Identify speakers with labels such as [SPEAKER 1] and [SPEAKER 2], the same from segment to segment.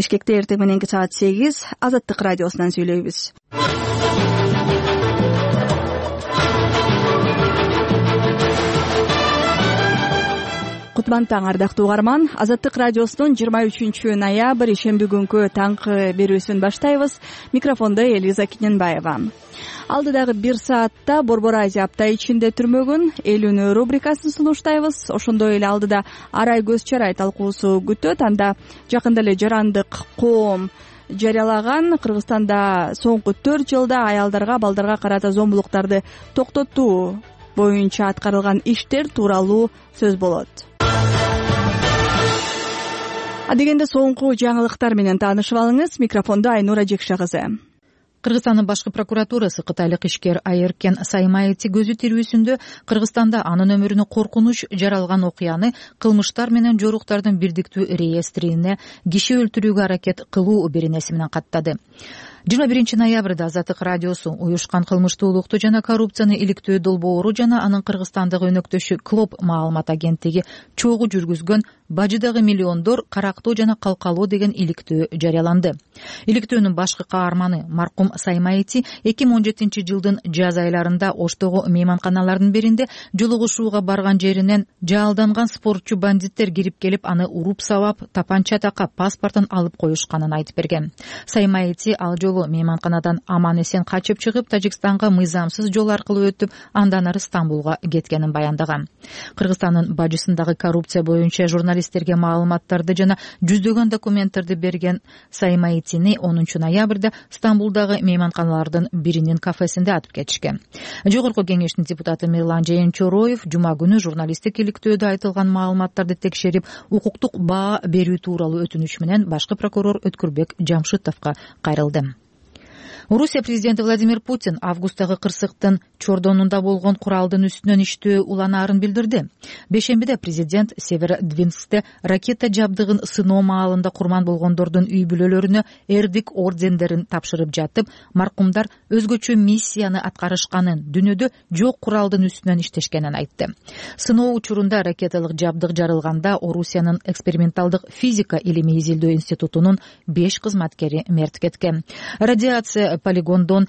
[SPEAKER 1] Бишкекте эртең мененки саат 8 Азаттык радиосунан сүйлөйбүз. Кутман таң, ардактуу угарман. Азаттык радиосунун 23 ноябрь ишемби күнкү таңкы берүүсүн баштайбыз. Микрофондо Элиза Киненбаева. Алдыдагы 1 саатта Борбор Азия апта ичинде түрмөгүн эл үнү рубрикасын сунуштайбыз. Ошондой эле алдыда арай көз чарай талкуусу күтөт. Анда жакында эле жарандык коом жарыялаган Кыргызстанда соңку 4 жылда аялдарга, балдарга карата зомбулуктарды токтотуу боюнча аткарылган иштер тууралуу сөз болот. Адегенде соңку жаңылыктар менен таанышып алыңыз. Микрофондо Айнура Жекша кызы.
[SPEAKER 2] Кыргызстандын башкы прокуратурасы кытайлык ишкер Айыркен Саймаити көзү тирүүсүндө Кыргызстанда анын өмүрүнө коркунуч жаралган окуяны кылмыштар менен жоруктардын бирдиктүү реестрине киши өлтүрүүгө аракет кылуу беренеси менен каттады. 21 ноябрда Азаттык радиосу уюшкан кылмыштуулукту жана коррупцияны иликтөө долбоору жана анын Кыргызстандагы өнөктөшү КЛОП маалымат агенттиги чогуу жүргүзгөн бажыдагы миллиондор карактоо жана калкалоо деген иликтөө жарыяланды. Иликтөөнүн башкы каарманы маркум Саймаити 2017 жылдын жаз айларында Оштогу мейманканалардын биринде жолугушууга барган жеринен жаалданган спортчу бандиттер кирип келип аны уруп сабап, тапанча такап, паспортун алып коюшканын айтып берген. Саймаити ал жолу мейманканадан аман-эсен качып чыгып, Тажикстанга мыйзамсыз жол аркылуу өтүп, андан ары Стамбулга кеткенин баяндаган. Кыргызстандын бажысындагы коррупция боюнча журналисттерге маалыматтарды жана жүздөгөн документтерди берген Саймаитини 10 ноябрда Стамбулдагы мейманканалардын биринин кафесинде атып кетишкен. Жогорку кеңештин депутаты Мирлан Жээнчороев жума күнү журналисттик иликтөөдө айтылган маалыматтарды текшерип, укуктук баа берүү тууралуу өтүнүч менен башкы прокурор Өткүрбек Жамшитовго кайрылды. Орусия президенти Владимир Путин августтагы кырсыктын Чордонунда болгон куралдын үстүнөн иштөө уланаарын билдирди. Бешембиде президент Северодвинскте ракета жабдыгын сыноо маалында курман болгондордун үй бүлөлөрүнө эрдик ордендерин тапшырып жатып, маркумдар өзгөчө миссияны аткарышканын, дүйнөдө жок куралдын үстүнөн иштешкенин айтты. Сыноо учурунда ракеталык жабдык жарылганда Орусиянын эксперименталдык физика илими изилдөө институтунун 5 кызматкери мерт кеткен. Радиация полигондон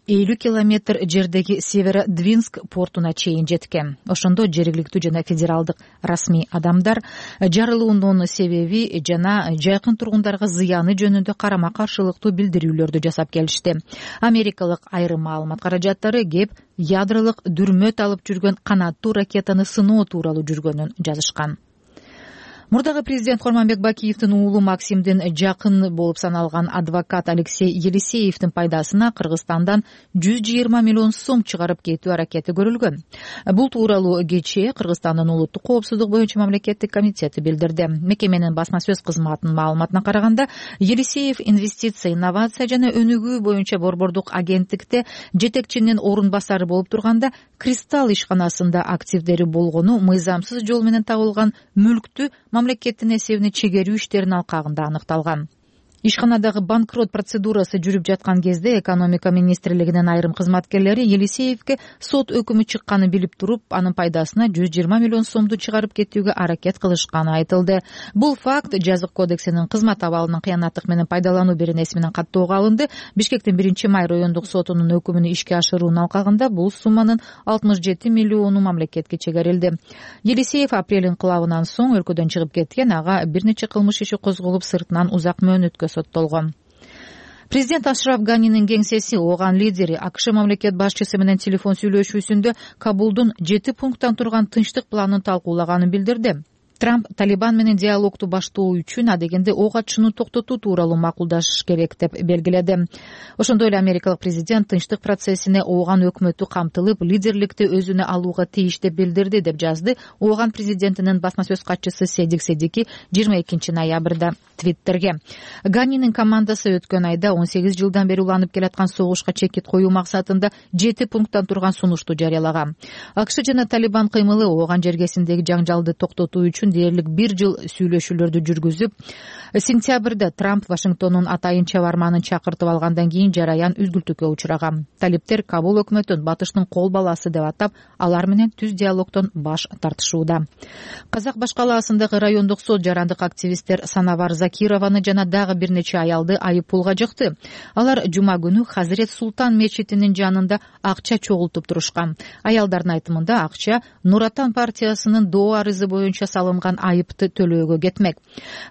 [SPEAKER 2] 50 километр жердеги Северодвинск портуна чейин жеткен. Ошондо жергиликтүү жана федералдык расмий адамдар жарылуунун себеби жана жакын тургундарга зыяны жөнүндө карама каршылыктуу билдирүүлөрдү жасап келишти. Америкалык айрым маалымат каражаттары кеп ядролук дүрмөт алып жүргөн канаттуу ракетаны сыноо тууралуу жүргөнүн жазышкан. Мурдагы президент Курманбек Бакиевдин уулу Максимдин жакын болуп саналган адвокат Алексей Елисеевдин пайдасына Кыргызстандан 120 миллион сом чыгарып кетүү аракети көрүлгөн. Бул тууралуу кечээ Кыргызстандын улуттук коопсуздук боюнча мамлекеттик комитети билдирди. Мекеменин басма сөз кызматынын маалыматына караганда, Елисеев инвестиция, инновация жана өнүгүү боюнча борбордук агенттикте жетекчинин орун басары болуп турганда, Кристалл ишканасында активдери болгону, мыйзамсыз жол менен табылган мүлктү мамлекеттин эсебине чегерүү иштеринин алкагында аныкталган. Ишканадагы банкрот процедурасы жүрүп жаткан кезде экономика министрлигинин айрым кызматкерлери Елисеевге сот өкүмү чыкканын билип туруп, анын пайдасына 120 миллион сомду чыгарып кетүүгө аракет кылышканы айтылды. Бул факт жазык кодексинин кызмат абалынын кыянаттык менен пайдалануу беренеси менен каттоого алынды. Бишкектин 1-май райондук сотунун өкүмүн ишке ашыруунун алкагында бул сумманын 67 миллиону мамлекетке чегерилди. Елисеев апрель инкылабынан соң өлкөдөн чыгып кеткен, ага бир нече кылмыш иши козголуп, сыртынан узак мөөнөткө соттолгон. Президент Ашраф Ганинин кеңсеси ооган лидери АКШ мамлекет башчысы менен телефон сүйлөшүүсүндө Кабулдун 7 пункттан турган тынчтык планын талкуулаганын билдирди. Трамп Талибан менен диалогду баштоо үчүн адегенде ок атышууну токтотуу тууралуу макулдашыш керек деп белгиледи. Ошондой эле америкалык президент тынчтык процессине ооган өкмөтү камтылып, лидерликти өзүнө алууга тийиш деп билдирди деп жазды ооган президентинин басма сөз катчысы Седик Седики 22 ноябрда Твиттерге. Ганинин командасы өткөн айда 18 жылдан бери уланып келаткан согушка чекит коюу максатында 7 пункттан турган сунушту жарыялаган. АКШ жана Талибан кыймылы ооган жергесиндеги жаңжалды токтотуу үчүн үчүн дээрлик 1 жыл сүйлөшүүлөрдү жүргүзүп, сентябрда Трамп Вашингтондун атайын чабарманын чакыртып алгандан кийин жараян үзгүлтүккө учураган. Талиптер Кабул өкмөтүн батыштын кол баласы деп атап, алар менен түз диалогдон баш тартышууда. Казак башкалаасындагы райондук сот жарандык активисттер Санавар Закированы жана дагы бир нече аялды айыппулга жыкты. Алар жума күнү Хазирет Султан мечитинин жанында акча чогултуп турушкан. Аялдардын айтымында акча Нур Отан партиясынын доо арызы боюнча салынган айыпты төлөөгө кетмек.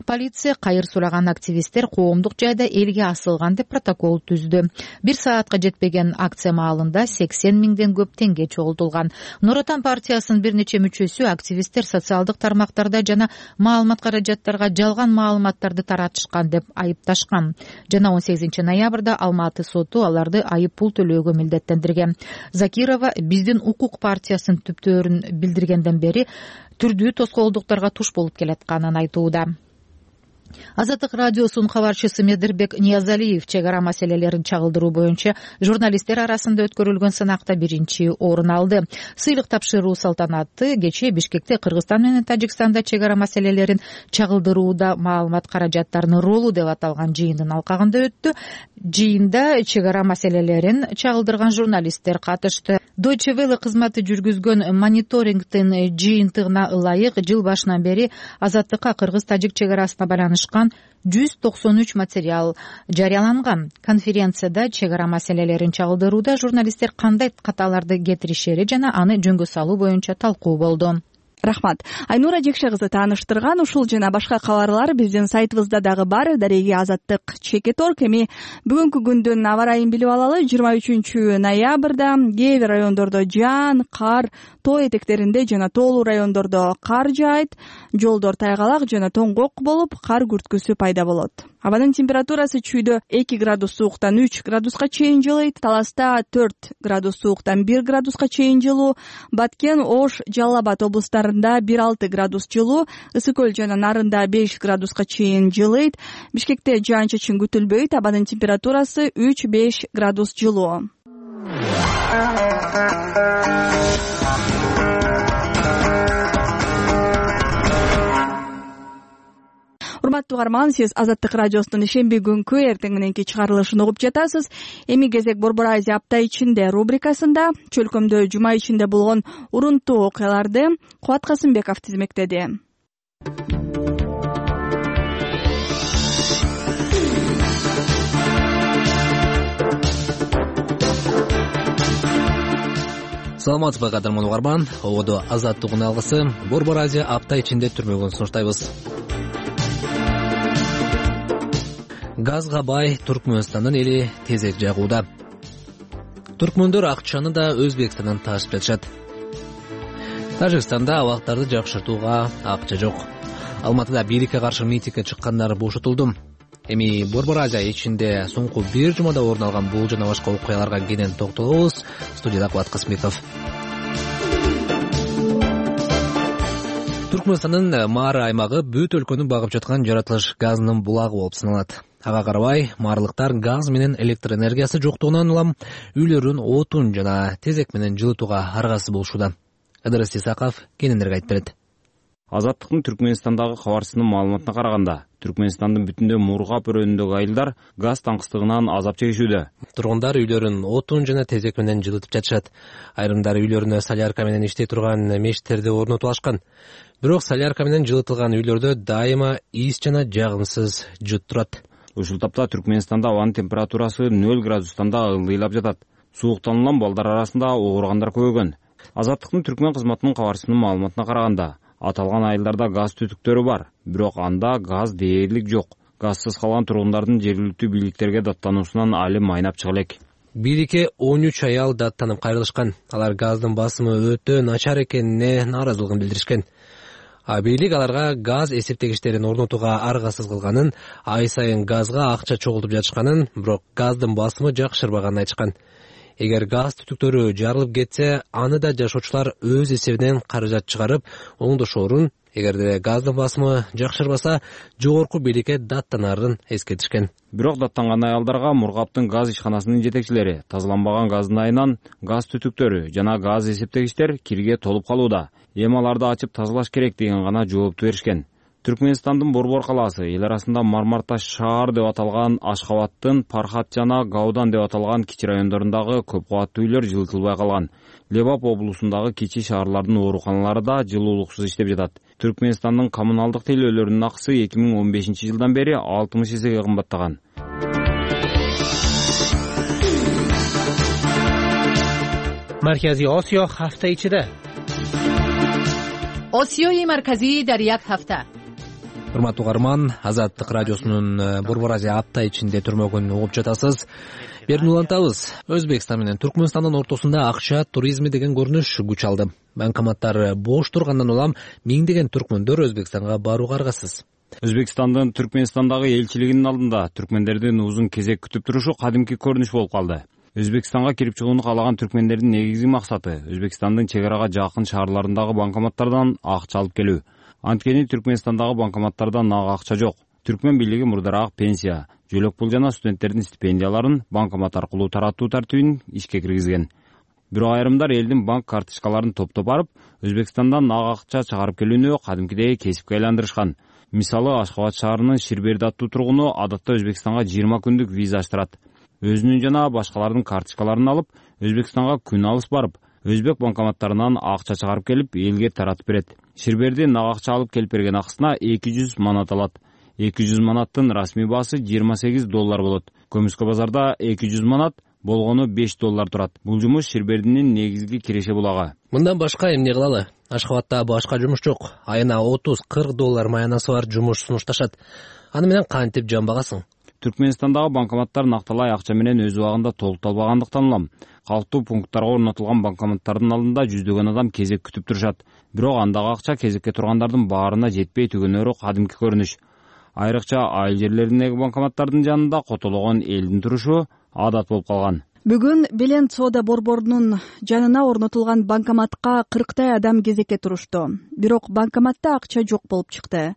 [SPEAKER 2] Полиция кайыр сураган активисттер коомдук жайда элге асылган деп протокол түздү. 1 саатка жетпеген акция маалында 80 миңден көп теңге чогултулган. Нур Отан партиясынын бир нече мүчөсү активисттер социалдык тармактарда жана маалымат каражаттарга жалган маалыматтарды таратышкан деп айыпташкан. Жана 18 ноябрда Алматы соту аларды айыппул төлөөгө милдеттендирген. Закирова биздин укук партиясынын түптөрүн билдиргенден бери түрдүү тоскоолдуктарга туш болуп келатканын айтууда. Азаттык радиосунун кабарчысы Медирбек Ниязалиев чек ара маселелерин чагылдыруу боюнча журналисттер арасында өткөрүлгөн сынакта 1 орун алды. Сыйлык тапшыруу салтанаты кечээ Бишкекте Кыргызстан менен Тажикстанда чек ара маселелерин чагылдырууда маалымат каражаттарынын ролу деп аталган жыйындын алкагында өттү. Жыйында чек ара маселелерин чагылдырган журналисттер катышты. Deutsche Welle кызматы жүргүзгөн мониторингдин жыйынтыгына ылайык жыл башынан бери Азаттыкка Кыргыз-Тажик чек арасына байланышкан 193 материал жарыяланган. Конференцияда чек ара маселелерин чагылдырууда журналисттер кандай каталарды кетиришери жана аны жөнгө салуу боюнча талкуу болду.
[SPEAKER 1] Рахмат. Айнура Жекше кызы тааныштырган ушул жана башка кабарлар биздин сайтыбызда дагы бар. Дареги Азаттык ЧК.org. Эми бүгүнкү күндүн аба ырайын билип алалы. 23 ноябрда кээ бир райондордо жаан, кар, тоо этектеринде жана тоолуу райондордо кар жаайт, жолдор тайгалак жана тоңгок болуп, кар күрткүсү пайда болот. Абанын температурасы чүйдө 2 градус сууктан 3 градуска чейин жылыйт, Таласта 4 градус сууктан 1 градуска чейин жылуу, Баткен, Ош, Жалал Абад облустарында 1-6 градус жылуу, Ысык Көл жана Нарында 5 градуска чейин жылыйт. Бишкекте жаан-чачын күтүлбөйт, абанын температурасы 3-5 градус жылуу. Урматтуу угарман, сиз Азаттык радиосунун ишемби күнкү эртең мененки чыгарылышын угуп жатасыз. Эми кезек Борбор Азия апта ичинде рубрикасында чөлкөмдө жума ичинде болгон урунттуу окуяларды Кубат Касымбеков тизмектеди.
[SPEAKER 3] Саламатсызбы кадырман угарман, ободо Азаттыктын алгысы Борбор Азия апта ичинде түрмөгөн сунуштайбыз. Газга бай Туркмөнстандын эли тезек жагууда. Туркмөндөр акчаны да Өзбекстандан ташып жатышат. Тажикстанда абактарды жакшыртууга акча жок. Алматыда бийликке каршы митингге чыккандар бошотулду. Эми Борбор Азия ичинде соңку бир жумада орун алган бул жана башка окуяларга кенен токтолобуз. Студияда Кубат Касымбеков. Туркмөнстандын Мары аймагы бүт өлкөнү багып жаткан жаратылыш газынын булагы болуп саналат. Ага карабай, марлыктар газ менен электр энергиясы жоктугунан улам үйлөрүн отун жана тезек менен жылытууга аргасыз болушууда. Ыдырыс Исаков кененирээк айтып берет.
[SPEAKER 4] Азаттыктын Түркмөнстандагы кабарчысынын маалыматына караганда, Түркмөнстандын бүтүндө Мургап өрөөнүндөгү айылдар газ таңкыстыгынан азап чегишүүдө.
[SPEAKER 3] Тургундар үйлөрүн отун жана тезек менен жылытып жатышат. Айрымдар үйлөрүнө солярка менен иштей турган мешиттерди орнотуп алышкан. Бирок солярка менен жылытылган үйлөрдө дайыма иис жана жагымсыз жыт турат.
[SPEAKER 4] Ушул тапта Түркмөнстанда абанын температурасы 0 градустан да ылдыйлап жатат. Сууктануулан балдар арасында ооругандар көбөйгөн. Азаттыктын Түркмөн кызматынын кабарчысынын маалыматына караганда, аталган айылдарда газ түтүктөрү бар, бирок анда газ дээрлик жок. Газсыз калган тургундардын жергиликтүү бийликтерге даттануусунан али майнап чыга элек.
[SPEAKER 3] Бийликке 13 аял даттанып кайрылышкан. Алар газдын басымы өтө начар экенине нааразылыгын билдиришкен. Бийлик аларга газ эсептегичтерин орнотууга аргасыз кылганын, ай сайын газга акча чогултуп жатышканын, бирок газдын басымы жакшырбаганын айтышкан. Эгер газ түтүктөрү жарылып кетсе, аны да жашоочулар өз эсебинен каражат чыгарып, оңдошоорун Эгерде газдын басымы жакшырбаса, жогорку бийликке даттанарын эскертишкен.
[SPEAKER 4] Бирок даттанган аялдарга Мургаптын газ ишканасынын жетекчилери тазаланбаган газдын айынан газ түтүктөрү жана газ эсептегичтер кирге толуп калууда. Эми аларды ачып тазалаш керек деген гана жоопту беришкен. Түркмөнстандын Борбор калаасы эл арасында Мармарташ шаар деп аталган Ашхабадтын Пархат жана Гаудан деп аталган кичи райондорундагы көп кабаттуу үйлөр жылытылбай калган. Лебап облусундагы кичи шаарлардын ооруканалары да жылуулуксуз иштеп жатат. Түркмөнстандын коммуналдык тейлөөлөрүнүн акысы 2015-жылдан бери 60 эсеге кымбаттаган.
[SPEAKER 3] Марказий Осиё hafta ichida.
[SPEAKER 2] Осиёи марказии дар як ҳафта.
[SPEAKER 3] Урматтуу угарман, Азаттык радиосунун Борбор Азия апта ичинде түрмөгүн угуп жатасыз. Берүүнү улантабыз. Өзбекстан менен Түркмөнстандын ортосунда акча туризми деген көрүнүш күч алды. Банкоматтар бош тургандан улам миңдеген түркмөндөр Өзбекстанга барууга аргасыз.
[SPEAKER 4] Өзбекстандын Түркмөнстандагы элчилигинин алдында түркмөндөрдүн узун кезек күтүп турушу кадимки көрүнүш болуп калды. Өзбекстанга кирип чыгууну каалаган түркмөндөрдүн негизги максаты Өзбекстандын чек арага жакын шаарларындагы банкоматтардан акча алып келүү. Анткени Түркмөнстандагы банкоматтарда нак акча жок. Түркмөн бийлиги мурдараак пенсия, жөлөк пул жана студенттердин стипендияларын банкомат аркылуу таратуу тартибин ишке киргизген. Бирок айрымдар элдин банк карточкаларын топтоп барып, Өзбекстандан нак акча чыгарып келүүнү кадимкидей кесипке айландырышкан. Мисалы, Ашхабад шаарынын Ширберди аттуу тургуну адатта Өзбекстанга 20 күндүк виза аштырат. Өзүнүн жана башкалардын карточкаларын алып, Өзбекстанга күн алыс барып, өзбек банкоматтарынан акча чыгарып келип, элге таратып берет. Ширберди нак акча алып келип берген акысына 200 манат алат. 200 манаттын расмий баасы $28 болот. Көмүскө базарда 200 манат болгону $5 турат. Бул жумуш Ширбердинин негизги киреше булагы.
[SPEAKER 3] Мындан башка эмне кылалы? Ашхабадда башка жумуш жок. Айына $30-40 маянасы бар жумуш сунушташат. Аны менен кантип жамбагасың?
[SPEAKER 4] Түркмөнстандагы банкоматтар накталай акча менен өз убагында толукталбагандыктан улам калктуу пункттарга орнотулган банкоматтардын алдында жүздөгөн адам кезек күтүп турушат. Бирок андагы акча кезекке тургандардын баарына жетпей түгөнөрү кадимки көрүнүш. Айрыкча айыл жерлериндеги банкоматтардын жанында котологон элдин турушу адат болуп калган.
[SPEAKER 1] Бүгүн Белен соода борборунун жанына орнотулган банкоматка 40 адам кезекке турушту. Бирок банкоматта акча жок болуп чыкты.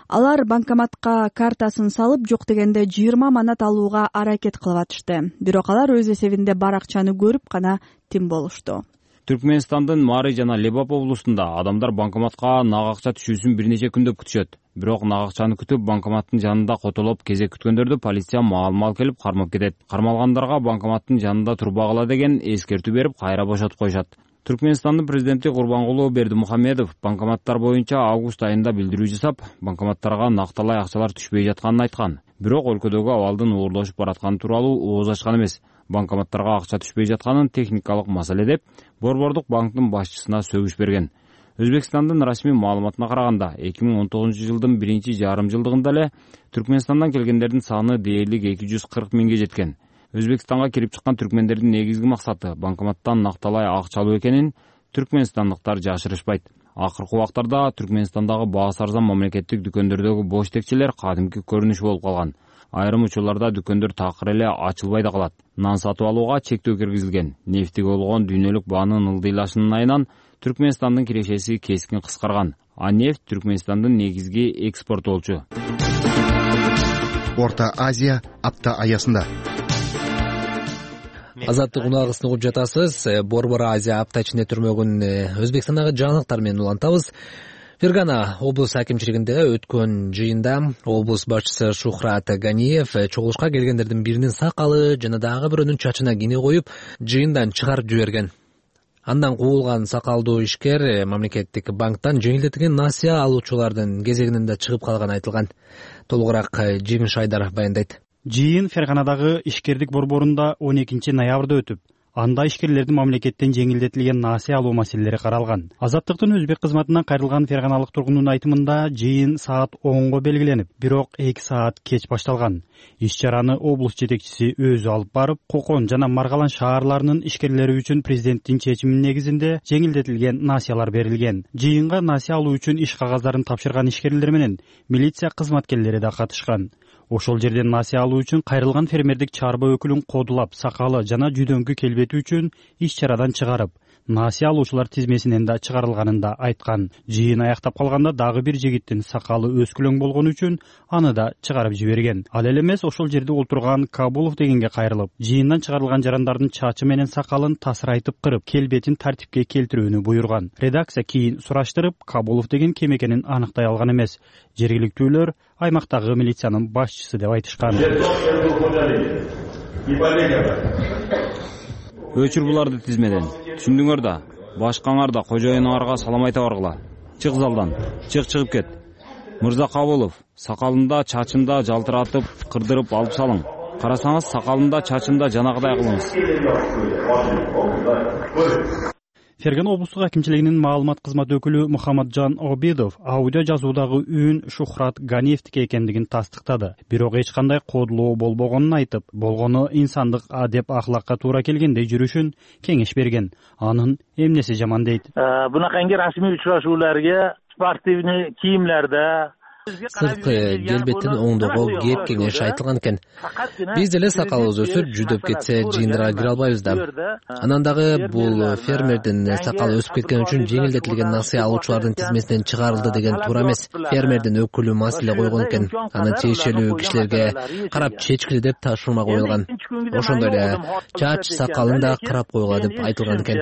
[SPEAKER 1] Алар банкоматка картасын салып, жок дегенде 20 манат алууга аракет кылып атышты. Бирок алар өз эсебинде бар акчаны көрүп гана тим болушту.
[SPEAKER 4] Түркмөнстандын Мары жана Лебап облусунда адамдар банкоматка нак акча түшүүсүн бир нече күндөп күтүшөт. Бирок нак акчаны күтүп банкоматтын жанында котолоп кезек күткөндөрдү полиция маал-маал келип кармап кетет. Кармалгандарга банкоматтын жанында турбагыла деген эскертүү берип, кайра бошотуп коюшат. Түркмөнстандын президенти Курбангулу Бердимухамедов банкоматтар боюнча август айында билдирүү жасап, банкоматтарга накталай акчалар түшпөй жатканын айткан. Бирок өлкөдөгү абалдын оорлошуп баратканы тууралуу ооз ачкан эмес. Банкоматтарга акча түшпөй жатканын техникалык маселе деп, Борбордук банктын башчысына сөгүш берген. Өзбекстандын расмий маалыматына караганда, 2019-жылдын биринчи жарым жылдыгында эле Түркмөнстандан келгендердин саны дээрлик 240 миңге жеткен. Өзбекстанга кирип чыккан түркмөндөрдүн негизги максаты банкоматтан накталай акча алуу экенин түркмөнстандыктар жашырышпайт. Акыркы убактарда Түркмөнстандагы баасы арзан мамлекеттик дүкөндөрдөгү бош текчелер кадимки көрүнүш болуп калган. Айрым учурларда дүкөндөр такыр эле ачылбай да калат. Нан сатып алууга чектөө киргизилген. Нефтиге болгон дүйнөлүк баанын ылдыйлашынын айынан Түркмөнстандын кирешеси кескин кыскарган. А нефть Түркмөнстандын негизги экспортоочу.
[SPEAKER 5] Орто Азия апта аясында.
[SPEAKER 3] Азаттык унагысын угуп жатасыз. Борбор Азия апта ичинде түрмөгүн Өзбекстандагы жаңылыктар менен улантабыз. Фергана облус акимчилигинде өткөн жыйында облус башчысы Шухрат Ганиев чогулушка келгендердин биринин сакалы жана дагы бирөөнүн чачына кине коюп, жыйындан чыгарып жиберген. Андан куулган сакалдуу ишкер мамлекеттик банктан жеңилдетилген насыя алуучулардын кезегинде чыгып калганы айтылган. Толугураак Жеңиш Айдаров баяндайт.
[SPEAKER 6] Жыйын Ферганадагы ишкердик борборунда 12-ноябрда өтүп, анда ишкерлердин мамлекеттен жеңилдетилген насыя алуу маселелери каралган. Азаттыктын өзбек кызматынан кайрылган ферганалык тургундун айтымында жыйын саат 10го белгиленип, бирок 2 саат кеч башталган. Иш-чараны облус жетекчиси өзү алып барып, Кокон жана Маргалан шаарларынын ишкерлери үчүн президенттин чечиминин негизинде жеңилдетилген насыялар берилген. Жыйынга насыя алуу үчүн иш кагаздарын тапшырган ишкерлер менен милиция кызматкерлери да катышкан. Ошол жерден насыя алуу үчүн кайрылган фермердик чарба өкүлүн кодулап, сакалы жана жүдөңкү келбети үчүн иш-чарадан чыгарып, насыя алуучулар тизмесинен да чыгарылганын да айткан. Жыйын аяктап калганда дагы бир жигиттин сакалы өскүлөң болгон үчүн аны да чыгарып жиберген. Ал эле эмес, ошол жерде отурган Кабулов дегенге кайрылып, жыйындан чыгарылган жарандардын чачы менен сакалын тасырайтып кырып, келбетин тартипке келтирүүнү буйруган. Редакция кийин сураштырып, Кабулов деген ким экенин аныктай алган эмес. Жергиликтүүлөр аймактагы милициянын башчысы деп айтышкан.
[SPEAKER 4] Өчүр буларды тизмеден. Түшүндүңөр да. Башкаңар да кожоюнуңарга салам айта баргыла. Чык залдан. Чыгып кет. Мырза Кабулов, сакалында, чачында жалтыратып, кырдырып алып салың. Карасаңыз, сакалында, чачында жанагыдай кылыңыз.
[SPEAKER 6] Фергана облустук акимчилигинин маалымат кызматы өкүлү Мухаммаджан Обидов аудио жазуудагы үн Шухрат Ганиевдики экендигин тастыктады. Бирок эч кандай кодулоо болбогонун айтып, болгону инсандык адеп ахлакка туура келгендей жүрүшүн кеңеш берген. Анын эмнеси жаман дейт.
[SPEAKER 7] Бунаканги расмий учурашууларга спортивный кийимлерде
[SPEAKER 3] сырткы келбеттин оңдогол кеп кеңеш айтылган экен. Биз деле сакалыбыз өсүп, жүдөп кетсе жыйындарга кире албайбыз да. Анан дагы бул фермердин сакалы өсүп кеткен үчүн жеңилдетилген насыя алуучулардын тизмесинен чыгарылды деген туура эмес. Фермердин өкүлү маселе койгон экен. Аны тиешелүү кишилерге карап чечкиле деп тапшырма коюлган. Ошондой эле чач сакалын да карап койгула деп айтылган экен.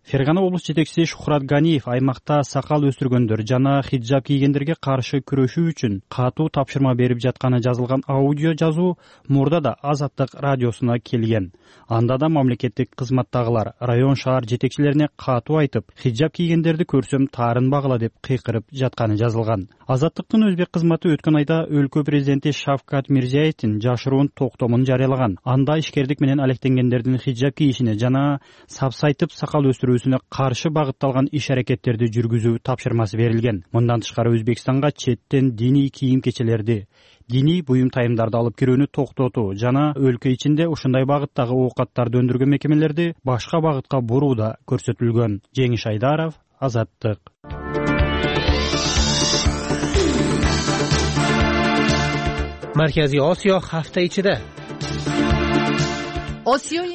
[SPEAKER 6] Фергана облус жетекчиси Шухрат Ганиев аймакта сакал өстүргөндөр жана хиджаб кийгендерге каршы күрөшүү үчүн катуу тапшырма берип жатканы жазылган аудио жазуу мурда да Азаттык радиосуна келген. Анда да мамлекеттик кызматтагылар район шаар жетекчилерине катуу айтып, хиджаб кийгендерди көрсөм таарынбагыла деп кыйкырып жатканы жазылган. Азаттыктын өзбек кызматы өткөн айда өлкө президенти Шавкат Мирзиевдин жашыруун токтомун жарыялаган. Анда ишкердик менен алектенгендердин хиджаб кийишине жана сапсайтып сакал өстүрүүсүнө каршы багытталган иш-аракеттерди жүргүзүү тапшырмасы берилген. Мындан тышкары Өзбекстанга четтен диний кийим кечелерди, диний буюм тайымдарды алып кирүүнү токтотуу жана өлкө ичинде ушундай багыттагы оокаттарды өндүргөн мекемелерди башка багытка буруу да көрсөтүлгөн. Жеңиш Айдаров, Азаттык.
[SPEAKER 3] Марказий Осиё hafta ichida.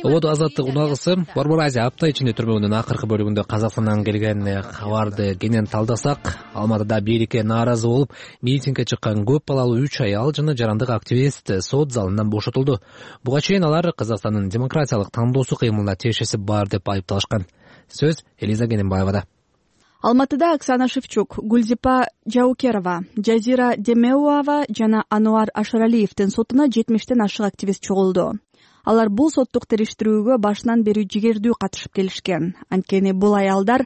[SPEAKER 3] Ободо Азаттык уналгысы Борбор Азия апта ичинде түрмөгүнүн акыркы бөлүгүндө Казакстандан келген кабарды кенен талдасак, Алматыда бийликке нааразы болуп, митингге чыккан көп балалуу 3 аял жана жарандык активист сот залынан бошотулду. Буга чейин алар Казакстандын демократиялык тандоосу кыймылына тиешеси бар деп айыпталышкан. Сөз Элиза Гененбаевада.
[SPEAKER 1] Алматыда Оксана Шевчук, Гүлзипа Жаукерова, Жазира Демеуова жана Ануар Ашыралиевдин сотуна 70тен ашык активист чогулду. Алар бул соттук териштирүүгө башынан бери жигердүү катышып келишкен. Анткени бул аялдар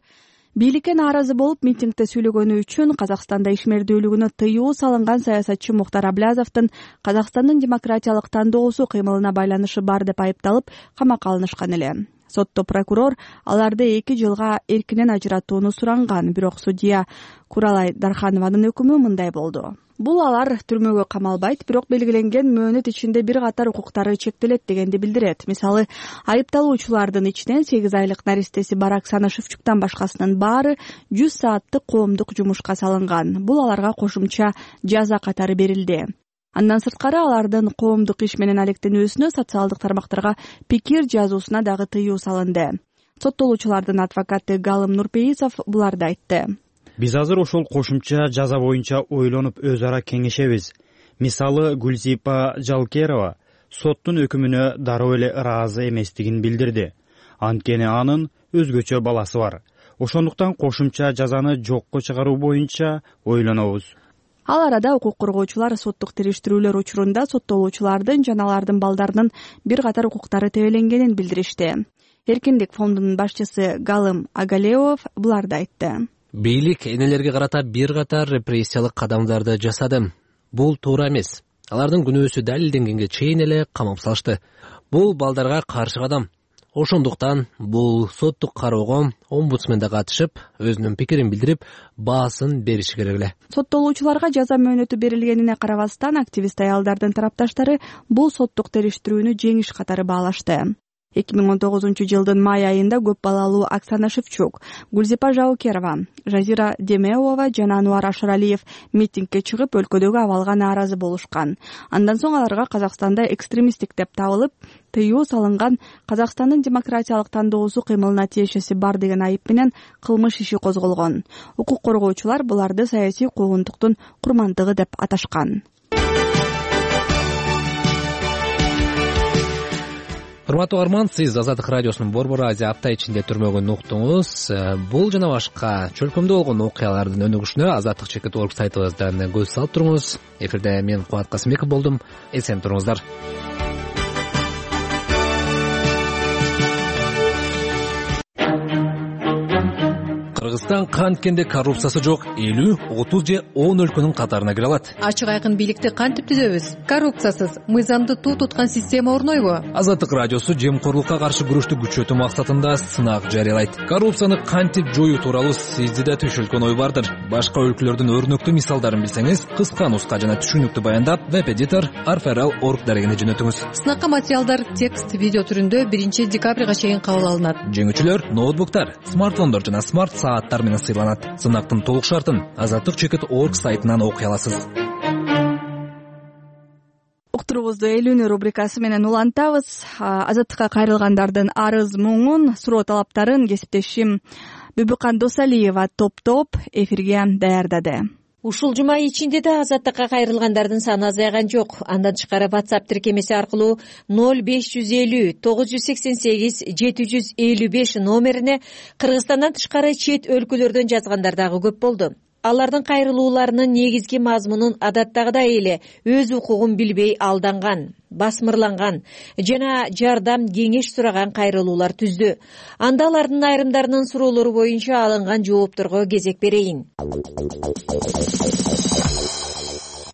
[SPEAKER 1] бийликке нааразы болуп митингде сүйлөгөнү үчүн Казакстанда ишмердүүлүгүнө тыюу салынган саясатчы Мухтар Аблязовдун Казакстандын демократиялык тандоосу кыймылына байланышы бар деп айыпталып камакка алынышкан эле. Сотто прокурор аларды 2 жылга эркинен ажыратууну суранган, бирок судья Куралай Дарханованын өкүмү мындай болду. Бул алар түрмөгө камалбайт, бирок белгиленген мөөнөт ичинде бир катар укуктары чектелет дегенди билдирет. Мисалы, айыпталуучулардын ичинен 8 айлык наристеси бар Оксана Шевчуктан башкасынын баары 100 сааттык коомдук жумушка салынган. Бул аларга кошумча жаза катары берилди. Андан сырткары алардын коомдук иш менен алектенүүсүнө, социалдык тармактарга пикир жазуусуна дагы тыюу салынды. Соттолуучулардын адвокаты Галым Нурпейисов буларды айтты.
[SPEAKER 6] Биз азыр ошол кошумча жаза боюнча ойлонуп өз ара кеңешебиз. Мисалы, Гүлзипа Жалкерова соттун өкүмүнө дароо эле ыраазы эместигин билдирди. Анткени анын өзгөчө баласы бар. Ошондуктан кошумча жазаны жокко чыгаруу боюнча ойлонобуз.
[SPEAKER 1] Ал арада укук коргоочулар соттук териштирүүлөр учурунда соттолуучулардын жана алардын балдарынын бир катар укуктары тебеленгенин билдиришти. Эркиндик фондунун башчысы Галым Агалеов буларды айтты.
[SPEAKER 3] Бийлик энелерге карата бир катар репрессиялык кадамдарды жасады. Бул туура эмес. Алардын күнөөсү далилденгенге чейин эле камап салышты. Бул балдарга каршы кадам. Ошондуктан бул соттук кароого омбудсмен да катышып, өзүнүн пикирин билдирип, баасын бериши керек эле.
[SPEAKER 1] Соттолуучуларга жаза мөөнөтү берилгенине карабастан, активист аялдардын тарапташтары бул соттук териштирүүнү жеңиш катары баалашты. 2019-жылдын май айында көп балалуу Оксана Шевчук, Гүлзипа Жаукерова, Жазира Демеова жана Ануар Ашыралиев митингге чыгып, өлкөдөгү абалга нааразы болушкан. Андан соң аларга Казакстанда экстремисттик деп табылып, тыюу салынган Казакстандын демократиялык тандоосу кыймылына тиешеси бар деген айып менен кылмыш иши козголгон. Укук коргоочулар буларды саясий куугунтуктун курмандыгы деп аташкан.
[SPEAKER 3] Урматтуу угарман, сиз Азаттык радиосунун Борбор Азия апта ичинде түрмөгүн уктуңуз. Бул жана башка чөлкөмдө болгон окуялардын өнүгүшүнө azattik.org сайтыбыздан көз салып туруңуз. Эфирде мен Кубат Касымбеков болдум. Эсен туруңуздар. Кыргызстан канткенде коррупциясы жок 50, 30 же 10 өлкөнүн катарына кире алат.
[SPEAKER 2] Ачык айкын бийликти кантип түзөбүз? Коррупциясыз, мыйзамды туу туткан система орнойбу?
[SPEAKER 3] Азаттык радиосу жемкорлукка каршы күрөштү күчөтүү максатында сынак жарыялайт. Коррупцияны кантип жоюу тууралуу сизде да түшүлгөн ой бардыр. Башка өлкөлөрдүн өрнөктүү мисалдарын билсеңиз, кыска нуска жана түшүнүктүү баяндап веб-эдитор arferal.org дарегине жөнөтүңүз.
[SPEAKER 2] Сынакка материалдар текст, видео түрүндө 1 декабрга чейин кабыл алынат.
[SPEAKER 3] Жеңүүчүлөр ноутбуктар, смартфондор жана смарт сааттар менен сыйланат. Сынактын толук шартын azattik.org сайтынан окуй аласыз.
[SPEAKER 1] Уктурубузду элүүнү рубрикасы менен улантабыз. Азаттыкка кайрылгандардын арыз муңун, суроо талаптарын кесиптешим Бүбүкан Досалиева топтоп эфирге даярдады.
[SPEAKER 8] Ушул жума ичинде да азаттыкка кайрылгандардын саны азайган жок. Андан тышкары WhatsApp тиркемеси аркылуу 0550 988 755 номерине Кыргызстандан тышкары чет өлкөлөрдөн жазгандар дагы көп болду. Алардын кайрылууларынын негизги мазмунун адаттагыдай эле өз укугун билбей алданган, басмырланган жана жардам кеңеш сураган кайрылуулар түздү. Анда алардын айрымдарынын суроолору боюнча алынган жоопторго кезек берейин.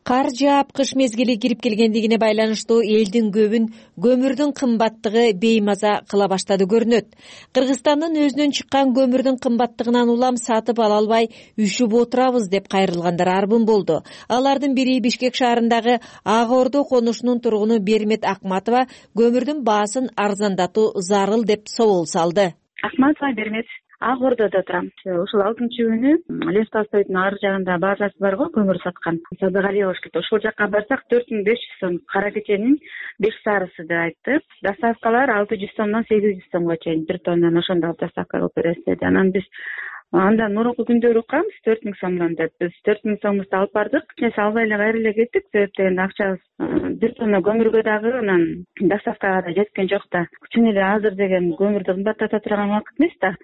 [SPEAKER 8] Кар жаап кыш мезгили кирип келгендигине байланыштуу элдин көбүн көмүрдүн кымбаттыгы беймаза кыла баштады көрүнөт. Кыргызстандын өзүнөн чыккан көмүрдүн кымбаттыгынан улам сатып ала албай үшүп отурабыз деп кайрылгандар арбын болду. Алардын бири Бишкек шаарындагы Ак Ордо конушунун тургуну Бермет Акматова көмүрдүн баасын арзандатуу зарыл деп собол салды.
[SPEAKER 9] Акматова Бермет, Ак Ордодо турам. Ушул 6-күнү Лев Толстойдун ар жагында базасы бар го, көмүр саткан. Садыгалиев болуш керек. Ошол жакка барсак 4500 сом, кара кеченин 5 сарысы деп айтты. Доставкалар 600 сомдон 800 сомго чейин бир тоннаны ошондо доставка кылып бересиз деди. Анан биз андан мурунку күндөрү укканбыз 4000 сомдон деп. Биз 4000 сомубузду алып бардык. Нерсе албай эле кайра эле кеттик. Себеп дегенде акчабыз бир тонна көмүргө дагы анан доставкага да жеткен жок да. Чын эле азыр деген көмүрдү кымбаттата турган убакыт эмес да.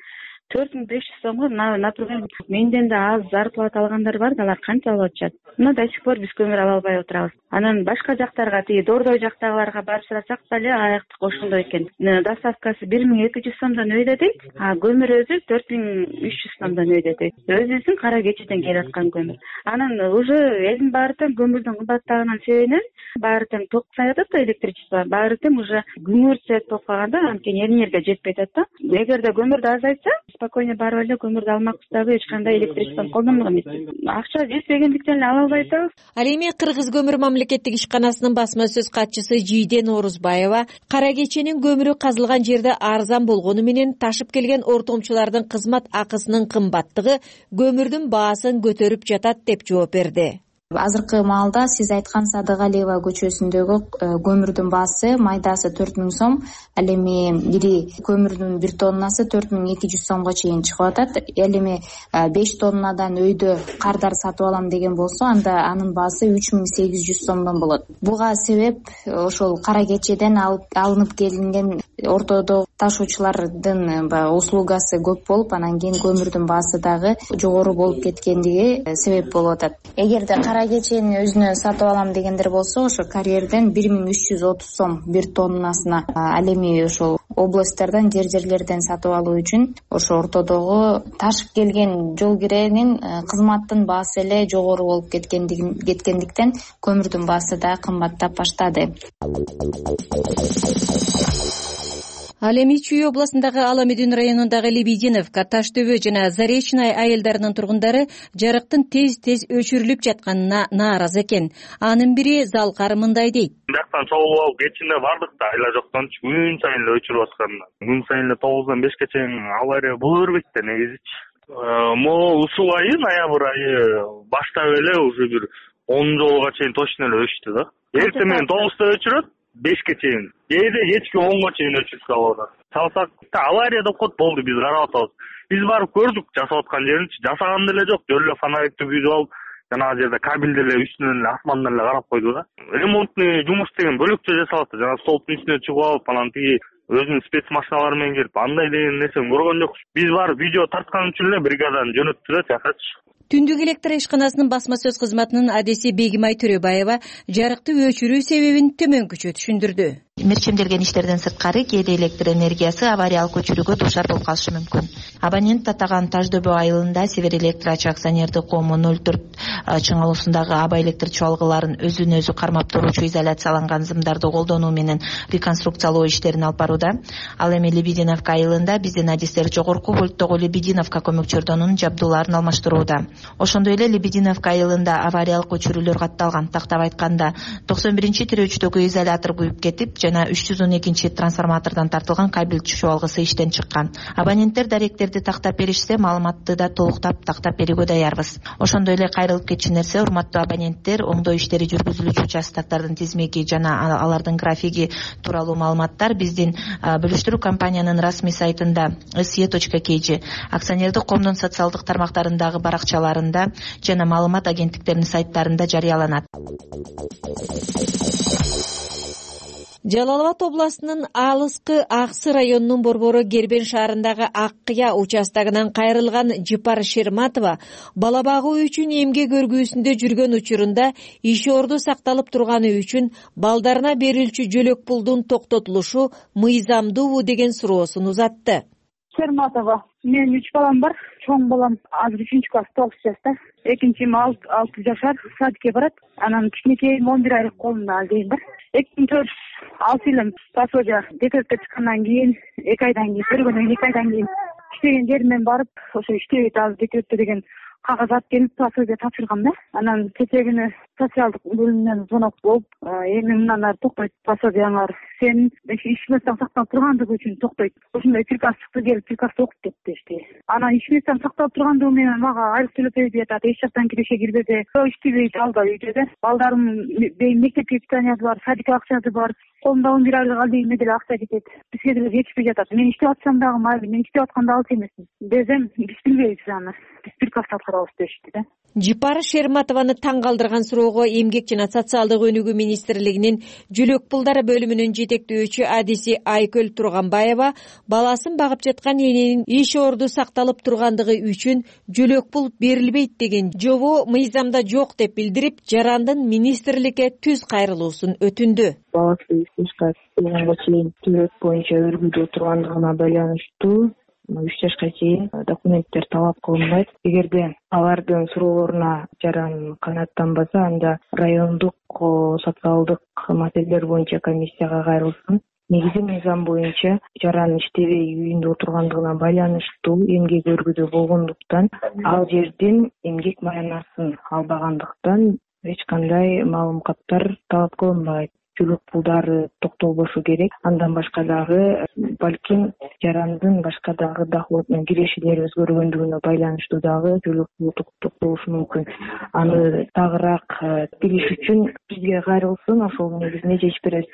[SPEAKER 9] 4500 сомго, например, менден да аз зарплата алгандар бар, алар канча алып атышат. Но до сих пор биз көмүр ала албай отурабыз. Анан башка жактарга, тиги Дордой жактагыларга барып сурасак деле аяктык ошондой экен. Доставкасы 1200 сомдон өйдө дейт, а көмүр өзү 4300 сомдон өйдө дейт. Өзүбүздүн кара кечеден келип аткан көмүр. Анан уже элдин баары тең көмүрдүн кымбаттаганын себебинен баары тең ток саятат да, электричество, баары тең уже күңүр цвет болуп калганда, анткени энергия жетпей атат да. Эгерде көмүрдү азайтса, спокойно барып эле көмүрдү алмакпыз дагы, эч кандай электричествону колдонбок эмес. Акча жетпегендиктен эле ала албай атабыз.
[SPEAKER 8] Ал эми Кыргыз көмүр мамлекеттик ишканасынын басма сөз катчысы Жийден Орузбаева кара кеченин көмүрү казылган жерде арзан болгону менен ташып келген ортомчулардын кызмат акысынын кымбаттыгы көмүрдүн баасын көтөрүп жатат деп жооп берди.
[SPEAKER 10] Азыркы маалда сиз айткан Садыгалиева көчөсүндөгү көмүрдүн баасы майдасы 4000 сом, ал эми бири көмүрдүн 1 тоннасы 4200 сомго чейин чыгып атат. Ал эми 5 тоннадан өйдө кардар сатып алам деген болсо, анда анын баасы 3800 сомдон болот. Буга себеп ошол кара кечеден алынып келинген ортодо ташуучулардын услугасы көп болуп, анан кийин көмүрдүн баасы дагы жогору болуп кеткендиги себеп болуп атат. Эгерде кара кечени өзүнө сатып алам дегендер болсо, ошо карьерден 1330 сом 1 тоннасына. Ал эми ошол областьтардан, жерлерден сатып алуу үчүн ошо ортодогу ташып келген жол киренин кызматтын баасы эле жогору болуп кеткендиктен көмүрдүн баасы да кымбаттап баштады.
[SPEAKER 8] Ал эми Чүй областындагы Аламедин районундагы Лебединовка, Таш төбө жана Заречный айылдарынын тургундары жарыктын тез өчүрүлүп жатканына нааразы экен. Анын бири Залкар мындай дейт.
[SPEAKER 7] Бияктан чогулуп алып кетчинде бардык да, айла жоктончу күн сайын эле өчүрүп атканына. Күн сайын эле 9-дан 5ке чейин авария боло бербейт да негизичи. Могу ушул айы, ноябрь айы баштап эле уже бир 10 жолго чейин точно эле өчтү да. Эртең менен 9-да өчүрөт, 5ке чейин. Кээде кечки 10га чейин өчүрүп калып атат. Салсак авария деп коет, болду, биз карап атабыз. Биз барып көрдүк жасап аткан жеринчи, жасаган деле жок. Жөн эле фонарикти күйдүп алып, жанагы жерде кабелди эле үстүнөн эле асмандан эле карап койду да. Ремонтный жумуш деген бөлөкчө жасалат. Жана столбтун үстүнө чыгып алып, анан тиги өзүнүн спецмашиналары менен келип, андай деген нерсени көргөн жокпуз. Биз барып видео тарткан үчүн эле бригаданы жөнөттү да, чакырчы.
[SPEAKER 8] Түндүк электр ишканасынын басма сөз кызматынын адеси Бегимай Төрөбаева жарыкты өчүрүү себебин төмөнкүчө түшүндүрдү.
[SPEAKER 11] Мерчемделген иштерден сырткары кээде электр энергиясы авариялык өчүрүүгө дуушар болуп калышы мүмкүн. Абонент татаган Таш дөбө айылында Север Электр АЧ акционердик коому 04 чыңалуусундагы аба электр чуалгыларын өзүн өзү кармап туруучу изоляцияланган зымдарды колдонуу менен реконструкциялоо иштерин алып барууда. Ал эми Лебединовка айылында биздин адистер жогорку вольттогу Лебединовка көмөкчөрдөнүн жабдууларын алмаштырууда. Ошондой эле Лебединовка айылында авариялык өчүрүүлөр катталган. Тактап айтканда 91-тирөөчтөгү изолятор күйүп кетип, жана 312 трансформатордон тартылган кабель чуалгысы иштен чыккан. Абоненттер даректерди тактап беришсе, маалыматты да толуктап тактап берүүгө даярбыз. Ошондой эле кайрылып кетчү нерсе, урматтуу абоненттер, оңдоо иштери жүргүзүлүүчү участоктордун тизмеги жана алардын графиги тууралуу маалыматтар биздин бөлүштүрүү компаниянын расмий сайтында se.kg, акционердик коомдун социалдык тармактарындагы баракчаларында жана маалымат агенттиктеринин сайттарында жарыяланат.
[SPEAKER 8] Жалал Абад областынын алыскы Аксы районунун борбору Кербен шаарындагы Ак Кыя участогунан кайрылган Жыпар Шерматова бала багуу үчүн эмгек өргүүсүндө жүргөн учурунда иш орду сакталып турганы үчүн балдарына берилчү жөлөк пулдун токтотулушу мыйзамдуубу деген суроосун узатты.
[SPEAKER 9] Шерматова, менин 3 балам бар. Чоң балам азыр 3-класс 9 жашта. Экинчим 6 жашар, садикке барат. Анан кичинекейим 11 айлык колумда алдейм бар. 2004 алсылым пасожа декретке чыккандан кийин 2 айдан кийин, көргөндөн 2 айдан кийин иштеген жеримен барып, ошо иштебейт азыр декретте деген кагаз алып келип пасожа тапшыргам да. Анан кечээ күнү социалдык бөлүмүнөн звонок болуп, эми мындан ары токтойт пасожаңар, сен иш местең сакталып тургандыгы үчүн токтойт. Ошондой приказ чыкты, келип приказды окуп деп дешти. Анан иш местең сакталып тургандыгы менен мага айлык төлөп берди атат. Эч жактан киреше кирбеде. Иштебейт, алда үйдө да. Балдарым мектепке питаниясы бар, садик акчасы бар. Колумда 11 айлык алдыйм деле акча кетет. Бизге деле жетишпей жатат. Мен иштеп атсам дагы майы, мен иштеп атканда алыс эмесмин. Десем, биз билбейбиз аны. Биз приказ аткарабыз дешти да.
[SPEAKER 8] Жыпар Шерматованы таң калтырган суроого Эмгек жана социалдык өнүгүү министрлигинин жөлөк пулдары бөлүмүнүн жетектөөчүсү адиси Айкөл Турганбаева баласын багып жаткан эненин иш орду сакталып тургандыгы үчүн жөлөк пул берилбейт деген жобоо мыйзамда жок деп билдирип, жарандын министрликке түз кайрылуусун өтүндү.
[SPEAKER 12] Баласы ишке келгенге чейин төлөк боюнча өргүдө тургандыгына байланыштуу 3 жашка чейин документтер талап кылынбайт. Эгерде алардын суроолоруна жаран канааттанбаса, анда райондук социалдык маселелер боюнча комиссияга кайрылсын. Негизи мыйзам боюнча жаран иштебей үйүндө отургандыгына байланыштуу эмгек өргүдө болгондуктан ал жерден эмгек маянасын албагандыктан эч кандай маалыматтар талап кылынбайт. Жөлөк пулдары токтолбошу керек. Андан башка дагы балким жарандын башка дагы доходунун кирешелери өзгөргөндүгүнө байланыштуу дагы жөлөк пул токтолушу мүмкүн. Аны тагыраак билиш үчүн бизге кайрылсын, ошол негизинде чечип беребиз.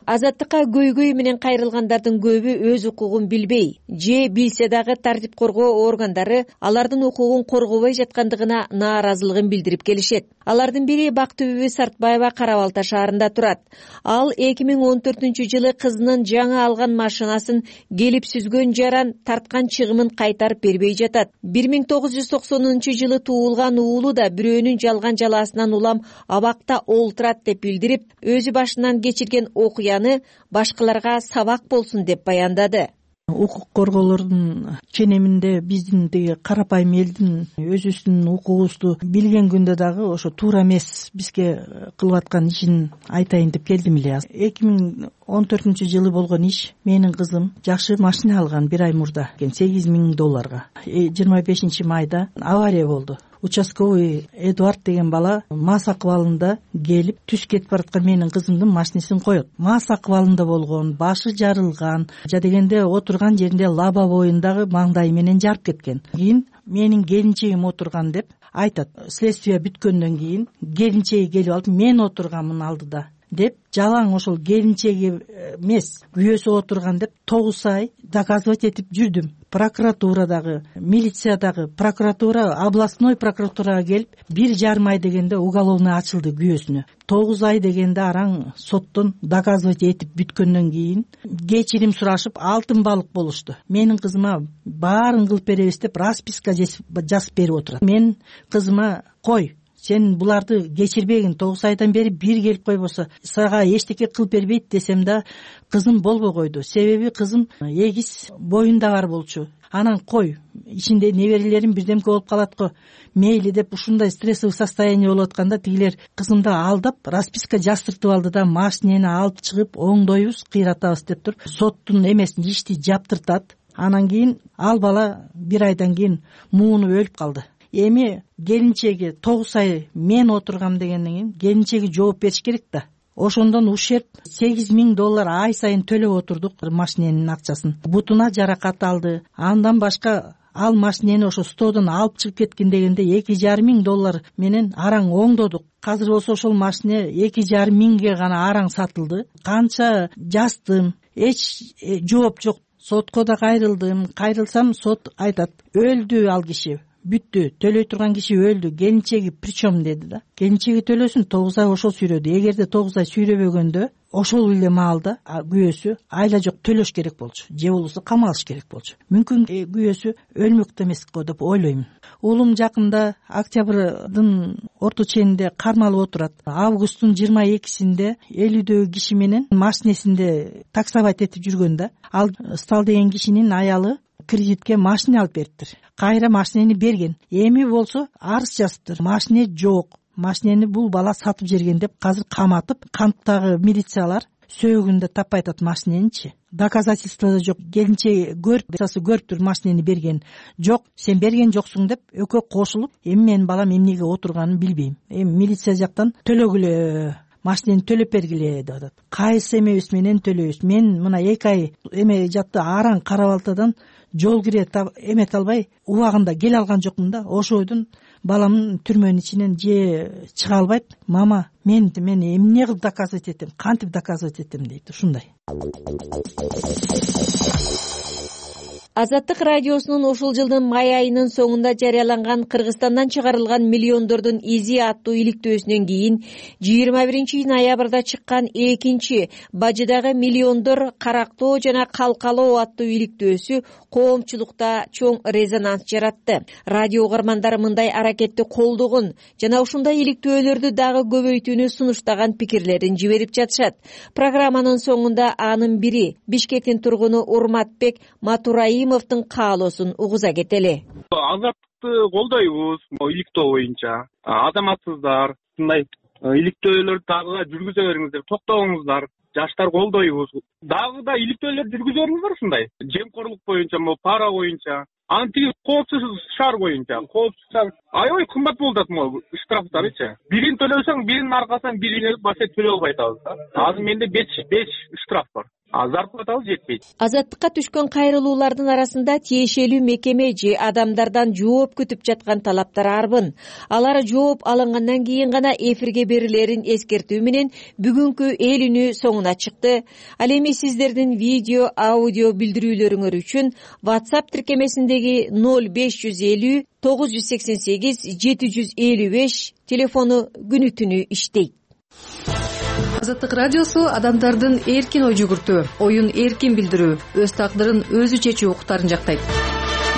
[SPEAKER 8] Азаттыкка көйгөй менен кайрылгандардын көбү өз укугун билбей же билсе дагы тартип коргоо органдары алардын укугун коргобой жаткандыгына нааразылыгын билдирип келишет. Алардын бири Бактыбүбү Сартбаева Кара Балта шаарында турат. Ал 2014-жылы кызынын жаңы алган машинасын келип сүзгөн жаран тарткан чыгымын кайтарып бербей жатат. 1990-жылы туулган уулу да бирөөнүн жалган жалаасынан улам абакта олтурат деп билдирип, өзү башынан кечирген окуяны башкаларга сабак болсун деп баяндады.
[SPEAKER 13] укук корgoолордун ченеминде биздин тиги карапайым элдин өзүбүздүн укугубузду билген күндө дагы ошо туура эмес бизге кылып аткан ишин айтайын деп келдим эле. 2014-жылы болгон иш. Менин кызым жакшы машина алган бир ай мурда $8,000. 25-майда авария болду. Участковый Эдуард деген бала мас акыбалында келип түз кетип бараткан менин кызымдын машинесин коет. Мас акыбалында болгон, башы жарылган, жа дегенде отурган жеринде лаба боюндагы маңдайы менен жарып кеткен. Кийин менин келинчегим отурган деп айтат. Следствие бүткөндөн кийин келинчеги келип алып мен отурганмын алдыда деп жалаң ошол келинчеги эмес күйөөсү отурган деп 9 ай доказывать этип жүрдүм. Прокуратурадагы, милициядагы, прокуратура, областной прокуратурага келип 1,5 ай дегенде уголовный ачылды күйөөсүнө. 9 ай дегенде араң соттон доказывать этип бүткөндөн кийин кечирим сурашып алтын балык болушту. Менин кызыма баарын кылып беребиз деп расписка жазып берип отурат. Мен кызыма кой, сен буларды кечирбегин, 9 айдан бери бир келип койбосо сага эчтеке кылып бербейт десем да кызым болбой койду. Себеби кызым эгиз боюнда бар болчу. Анан кой, ичинде неберелерим бирдемке болуп калат го, мейли деп ушундай стрессовый состояние болуп атканда тигилер кызымды алдап расписка жаздыртып алды да машинени алып чыгып оңдойбуз, кыйратабыз деп туруп соттун эмесин ишти жаптыртат. Анан кийин ал бала бир айдан кийин муунуп өлүп калды. Эми келинчеги 9 ай мен отургам дегенден кийин келинчеги жооп бериш керек да. Ошондон ущерб $8,000 ай сайын төлөп отурдук машиненин акчасын. Бутуна жаракат алды. Андан башка ал машинени ошо стодон алып чыгып кеткен дегенде $2,500 менен араң оңдодук. Азыр болсо ошол машина $2,500 гана араң сатылды. Канча жаздым, эч жооп жок. Сотко да кайрылсам сот айтат, өлдү ал киши. Бүттү, төлөй турган киши өлдү, келинчеги причем деди да. Келинчеги төлөсүн, 9 ай ошол сүйрөдү. Эгерде 9 ай сүйрөбөгөндө ошол эле маалда күйөөсү айла жок төлөш керек болчу, же болбосо камалыш керек болчу. Мүмкүн күйөөсү өлмөктө эмес го деп ойлойм. Уулум жакында октябрдын орто ченинде кармалып отурат. Августтун 22-синде 50 киши менен машинесинде таксовать этип жүргөн да. Ал Стал деген кишинин аялы кредитке машина алып бериптир. Кайра машинени берген. Эми болсо арыз жазыптыр. Машина жок. Машинени бул бала сатып жерген деп азыр каматып, камптагы милициялар сөөгүндө таппай атат машиненичи. Доказательство да жок. Келинче көрүптүр машинени берген. Жок, сен берген жоксуң деп экөө кошулуп, эми менин балам эмнеге отурганын билбейм. Эми милиция жактан төлөгүлө, машинени төлөп бергиле деп атат. Кайсы эмебиз менен төлөйбүз. Мен мына 2 ай эме жатты араң Карабалтадан жол кире эмете албай убагында келе алган жокмун да. Ошойдун баламдын түрмөнүн ичинен же чыга албайт. Мама, мен эмне кылып доказывать этем, кантип доказывать этем дейт. Ушундай.
[SPEAKER 8] Азаттык радиосунун ушул жылдын май айынын соңунда жарыяланган Кыргызстандан чыгарылган миллиондордун изи аттуу иликтөөсүнөн кийин 21-ноябрда чыккан экинчи Бажыдагы миллиондор карактоо жана калкалоо аттуу иликтөөсү коомчулукта чоң резонанс жаратты. Радио угармандары мындай аракетти колдогон жана ушундай иликтөөлөрдү дагы көбөйтүүнү сунуштаган пикирлерин жиберип жатышат. Программанын соңунда анын бири Бишкектин тургуну Урматбек Матураимовдун каалоосун угуза кетели.
[SPEAKER 14] Азаттыкты колдойбуз иликтөө боюнча. Азаматсыздар мындай иликтөөлөрдү дагы жүргүзө бериңиздер, токтоңуздар. Жаштар колдойбуз. Дагы да иликтөөлөр жүргүзө бериңиздер ушундай. Жемкорлук боюнча, пара боюнча, антиги коопсуз шаар боюнча. Коопсуз шаар аябай кымбат болуп атат штрафтарычы. Бирин төлөсөң, биринин аркасынан бирине башка төлөй албай атабыз. Азыр менде 5 штраф бар. Зарплатабыз жетпейт.
[SPEAKER 8] Азаттыкка түшкөн кайрылуулардын арасында тиешелүү мекеме же адамдардан жооп күтүп жаткан талаптар арбын. Алар жооп алынгандан кийин гана эфирге берилерин эскертүү менен бүгүнкү эл үнү соңуна чыкты. Ал эми сиздердин видео, аудио билдирүүлөрүңөр үчүн WhatsApp тиркемесиндеги 0550 988 755 телефону күнү түнү иштейт.
[SPEAKER 15] Азаттык радиосу адамдардын эркин ой жүгүртүү, оюн эркин билдирүү, өз тагдырын өзү чечүү укуктарын жактайт.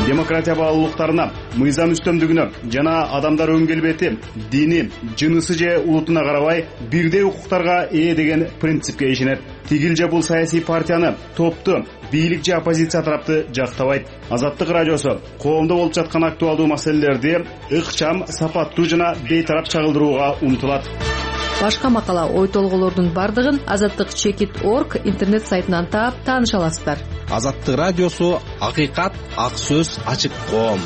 [SPEAKER 16] демократия баалуулуктарына, мыйзам үстөмдүгүнө жана адамдар өн келбети, дини, жынысы же улутуна карабай бирдей укуктарга ээ деген принципке ишенет. Тигил же бул саясий партияны, топту, бийлик же оппозиция тарапты жактабайт. Азаттык радиосу коомдо болуп жаткан актуалдуу маселелерди ыкчам, сапаттуу жана бейтарап чагылдырууга умтулат.
[SPEAKER 15] Башка макала, ой толгоолордун бардыгын azattik.org интернет сайтынан таап тааныша аласыздар.
[SPEAKER 17] Азаттык радиосу акыйкат, ак сөз, ачык коом.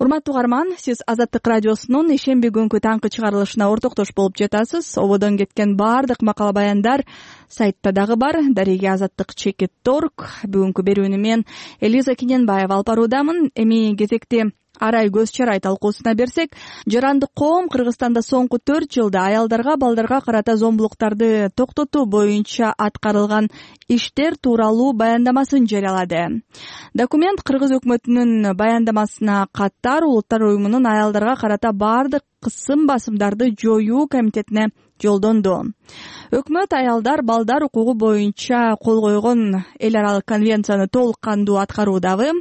[SPEAKER 1] Урматтуу угарман, сиз Азаттык радиосунун ишемби күнкү таңкы чыгарылышына ортоктош болуп жатасыз. Ободон кеткен баардык макала баяндар сайтта дагы бар. Дареги azattik.org. Бүгүнкү берүүнү мен Элиза Киненбаева алып баруудамын. Эми кезекти арай көз чарай талкуусуна берсек, жарандык коом Кыргызстанда соңку 4 жылда аялдарга, балдарга карата зомбулуктарды токтотуу боюнча аткарылган иштер тууралуу баяндамасын жарыялады. Документ Кыргыз өкмөтүнүн баяндамасына катар Улуттар уюмунун аялдарга карата баардык кысым басымдарды жоюу комитетине жолдонду. Өкмөт аялдар, балдар укугу боюнча кол койгон эл аралык конвенцияны толук кандуу аткаруудагы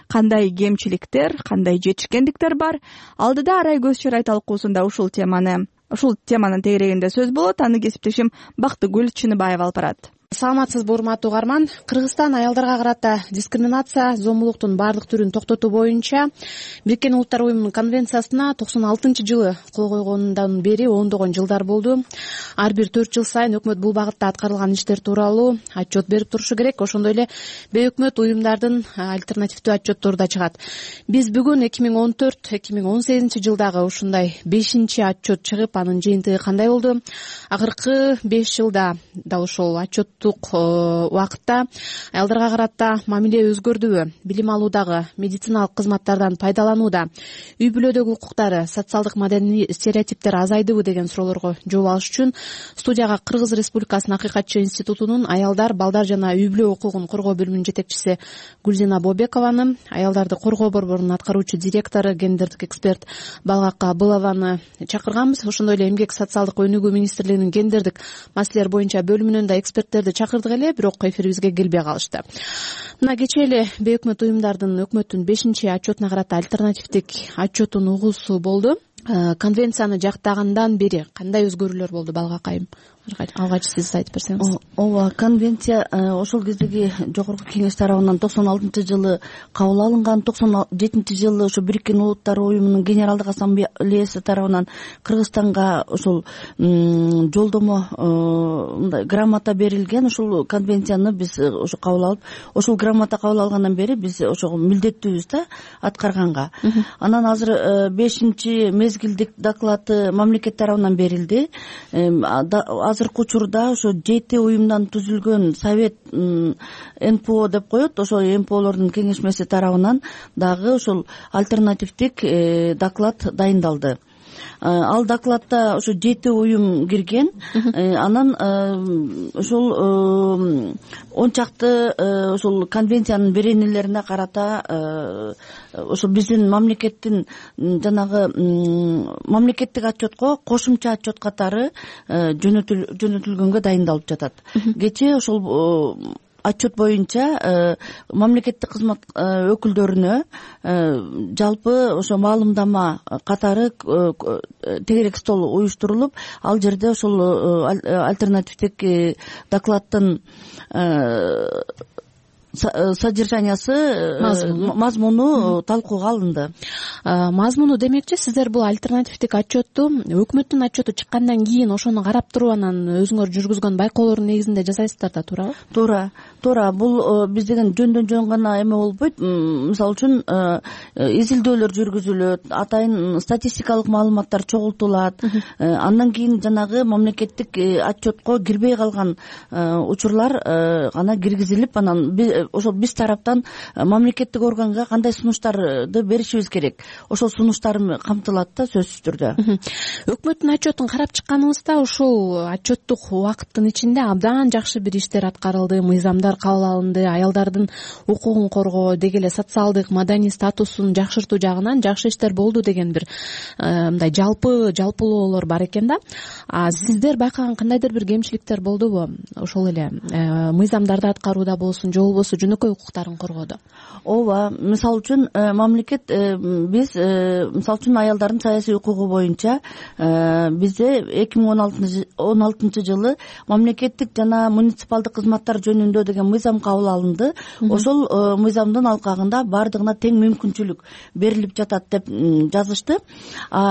[SPEAKER 1] кандай кемчиликтер, кандай жетишкендиктер бар? Алдыда арай көз чарай талкуусунда ушул теманын тегерегинде сөз болот. Аны кесиптешим Бактыгүл Чыныбаева алып барат.
[SPEAKER 18] Саламатсызбы, урматтуу угарман. Кыргызстан аялдарга карата дискриминация, зомбулуктун баардык түрүн токтотуу боюнча Бириккен Улуттар уюмунун конвенциясына 96-жылы кол койгонундан бери ондогон жылдар болду. Ар бир 4 жыл сайын өкмөт бул багытта аткарылган иштер тууралуу отчет берип турушу керек. Ошондой эле бейөкмөт уюмдардын альтернативдүү отчеттору да чыгат. Биз бүгүн 2014-2018 жылдагы ушундай 5-чи отчет чыгып, анын жыйынтыгы кандай болду? Акыркы 5 жылда да ошол отчет убакытта аялдарга карата мамиле өзгөрдүбү, билим алуудагы, медициналык кызматтардан пайдаланууда, үй бүлөдөгү укуктары, социалдык маданий стереотиптер азайдыбы деген суроолорго жооп алыш үчүн студияга Кыргыз Республикасынын Акыйкатчы институтунун аялдар, балдар жана үй бүлө укугун коргоо бөлүмүнүн жетекчиси Гүлзина Бобекованы, аялдарды коргоо борборунун аткаруучу директору, гендердик эксперт Балгак Абылованы чакырганбыз. Ошондой эле Эмгек социалдык өнүгүү министрлигинин гендердик маселелер боюнча бөлүмүнөн да эксперттерди чакырдык эле, бирок эфирибизге келбей калышты. Мына кечээ эле бейөкмөт уюмдардын өкмөттүн 5-чи отчетуна карата альтернативдик отчетун угуусу болду. Конвенцияны жактагандан бери кандай өзгөрүүлөр болду, Балгак айым? Алгач сиз айтып берсеңиз.
[SPEAKER 19] Ооба, конвенция ошол кездеги жогорку кеңеш тарабынан 96-жылы кабыл алынган, 97-жылы ошо Бириккен Улуттар уюмунун Генералдык Ассамблеясы тарабынан Кыргызстанга ошол жолдомо мындай грамота берилген. Ошол конвенцияны биз ошо кабыл алып, ошол грамота кабыл алгандан бери биз ошого милдеттүүбүз да аткарганга. Анан азыр 5-чи мезгилдик доклады мамлекет тарабынан берилди. Азыркы учурда ошо 7 уюмдан түзүлгөн совет НПО деп коет, ошо НПОлордун кеңешмеси тарабынан дагы ошол альтернативдик доклад дайындалды. Ал докладда ошо 7 уюм кирген. Анан ошол 10 чакты ошол конвенциянын беренелерине карата ошо биздин мамлекеттин жанагы мамлекеттик отчетко кошумча отчет катары жөнөтүлгөнгө дайындалып жатат. Кечээ ошол отчет боюнча мамлекеттик кызмат өкүлдөрүнө жалпы ошо маалымдама катары тегерек стол уюштурулуп, ал жерде ошол альтернативдик докладдын содержаниясы, мазмуну талкууга алынды.
[SPEAKER 18] Мазмуну демекчи, сиздер бул альтернативдик отчетту өкмөттүн отчету чыккандан кийин ошону карап туруп, анан өзүңөр жүргүзгөн байкоолордун негизинде жасайсыздар да, туурабы?
[SPEAKER 19] Туура. Бул биз деген жөндөн жөн гана эме болбойт. Мисалы үчүн изилдөөлөр жүргүзүлөт, атайын статистикалык маалыматтар чогултулат. Андан кийин жанагы мамлекеттик отчетко кирбей калган учурлар гана киргизилип, анан ошол биз тараптан мамлекеттик органга кандай сунуштарды беришибиз керек, ошол сунуштар камтылат да, сөзсүз түрдө.
[SPEAKER 18] Өкмөттүн отчетун карап чыкканыбызда ушул отчеттук убакыттын ичинде абдан жакшы бир иштер аткарылды, мыйзамдар кабыл алынды, аялдардын укугун коргоо, деги эле социалдык маданий статусун жакшыртуу жагынан жакшы иштер болду деген бир мындай жалпылоолор бар экен да. Сиздер байкаган кандайдыр бир кемчиликтер болдубу? Ошол эле мыйзамдарды аткарууда болсун, же болбосо болсо жөнөкөй укуктарын коргоодо?
[SPEAKER 19] ооба, мисалы үчүн мамлекет биз мисалы үчүн аялдардын саясий укугу боюнча бизде 2016 жылы мамлекеттик жана муниципалдык кызматтар жөнүндө деген мыйзам кабыл алынды. Ошол мыйзамдын алкагында бардыгына тең мүмкүнчүлүк берилип жатат деп жазышты.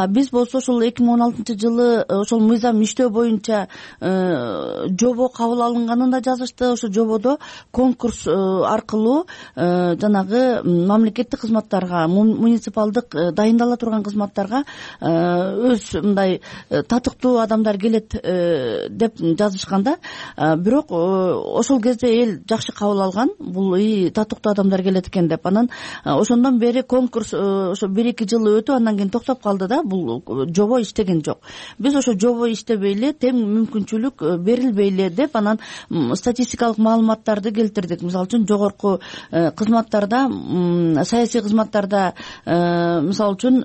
[SPEAKER 19] Биз болсо ошол 2016 жылы ошол мыйзам иштөө боюнча жобо кабыл алынганын да жазышты. Ошол жободо конкурс аркылуу жанагы мамлекеттик кызматтарга, муниципалдык дайындала турган кызматтарга өз мындай татыктуу адамдар келет деп жазышканда, бирок ошол кезде эл жакшы кабыл алган, бул татыктуу адамдар келет экен деп. Анан ошондон бери конкурс ошо 1-2 жыл өтүп, андан кийин токтоп калды да, бул жобо иштеген жок. Биз ошо жобо иштебей эле, тең мүмкүнчүлүк берилбей эле деп, анан статистикалык маалыматтарды келтирдик. Мисалы үчүн жогорку кызматтарда, саясий кызматтарда мисалы үчүн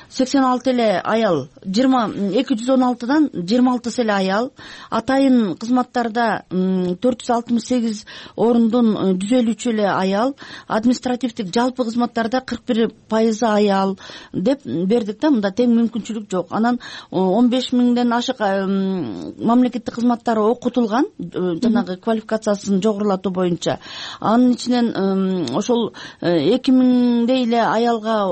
[SPEAKER 19] 86 эле аял, 216дан 26 эле аял, атайын кызматтарда 468 орундун 153 эле аял, административдик жалпы кызматтарда 41% аял деп бердик да. Мында тең мүмкүнчүлүк жок. Анан 15 миңден ашык мамлекеттик кызматтар окутулган, жанагы квалификациясын жогорулатуу боюнча. Анын ичинен ошол 2000дей эле аялга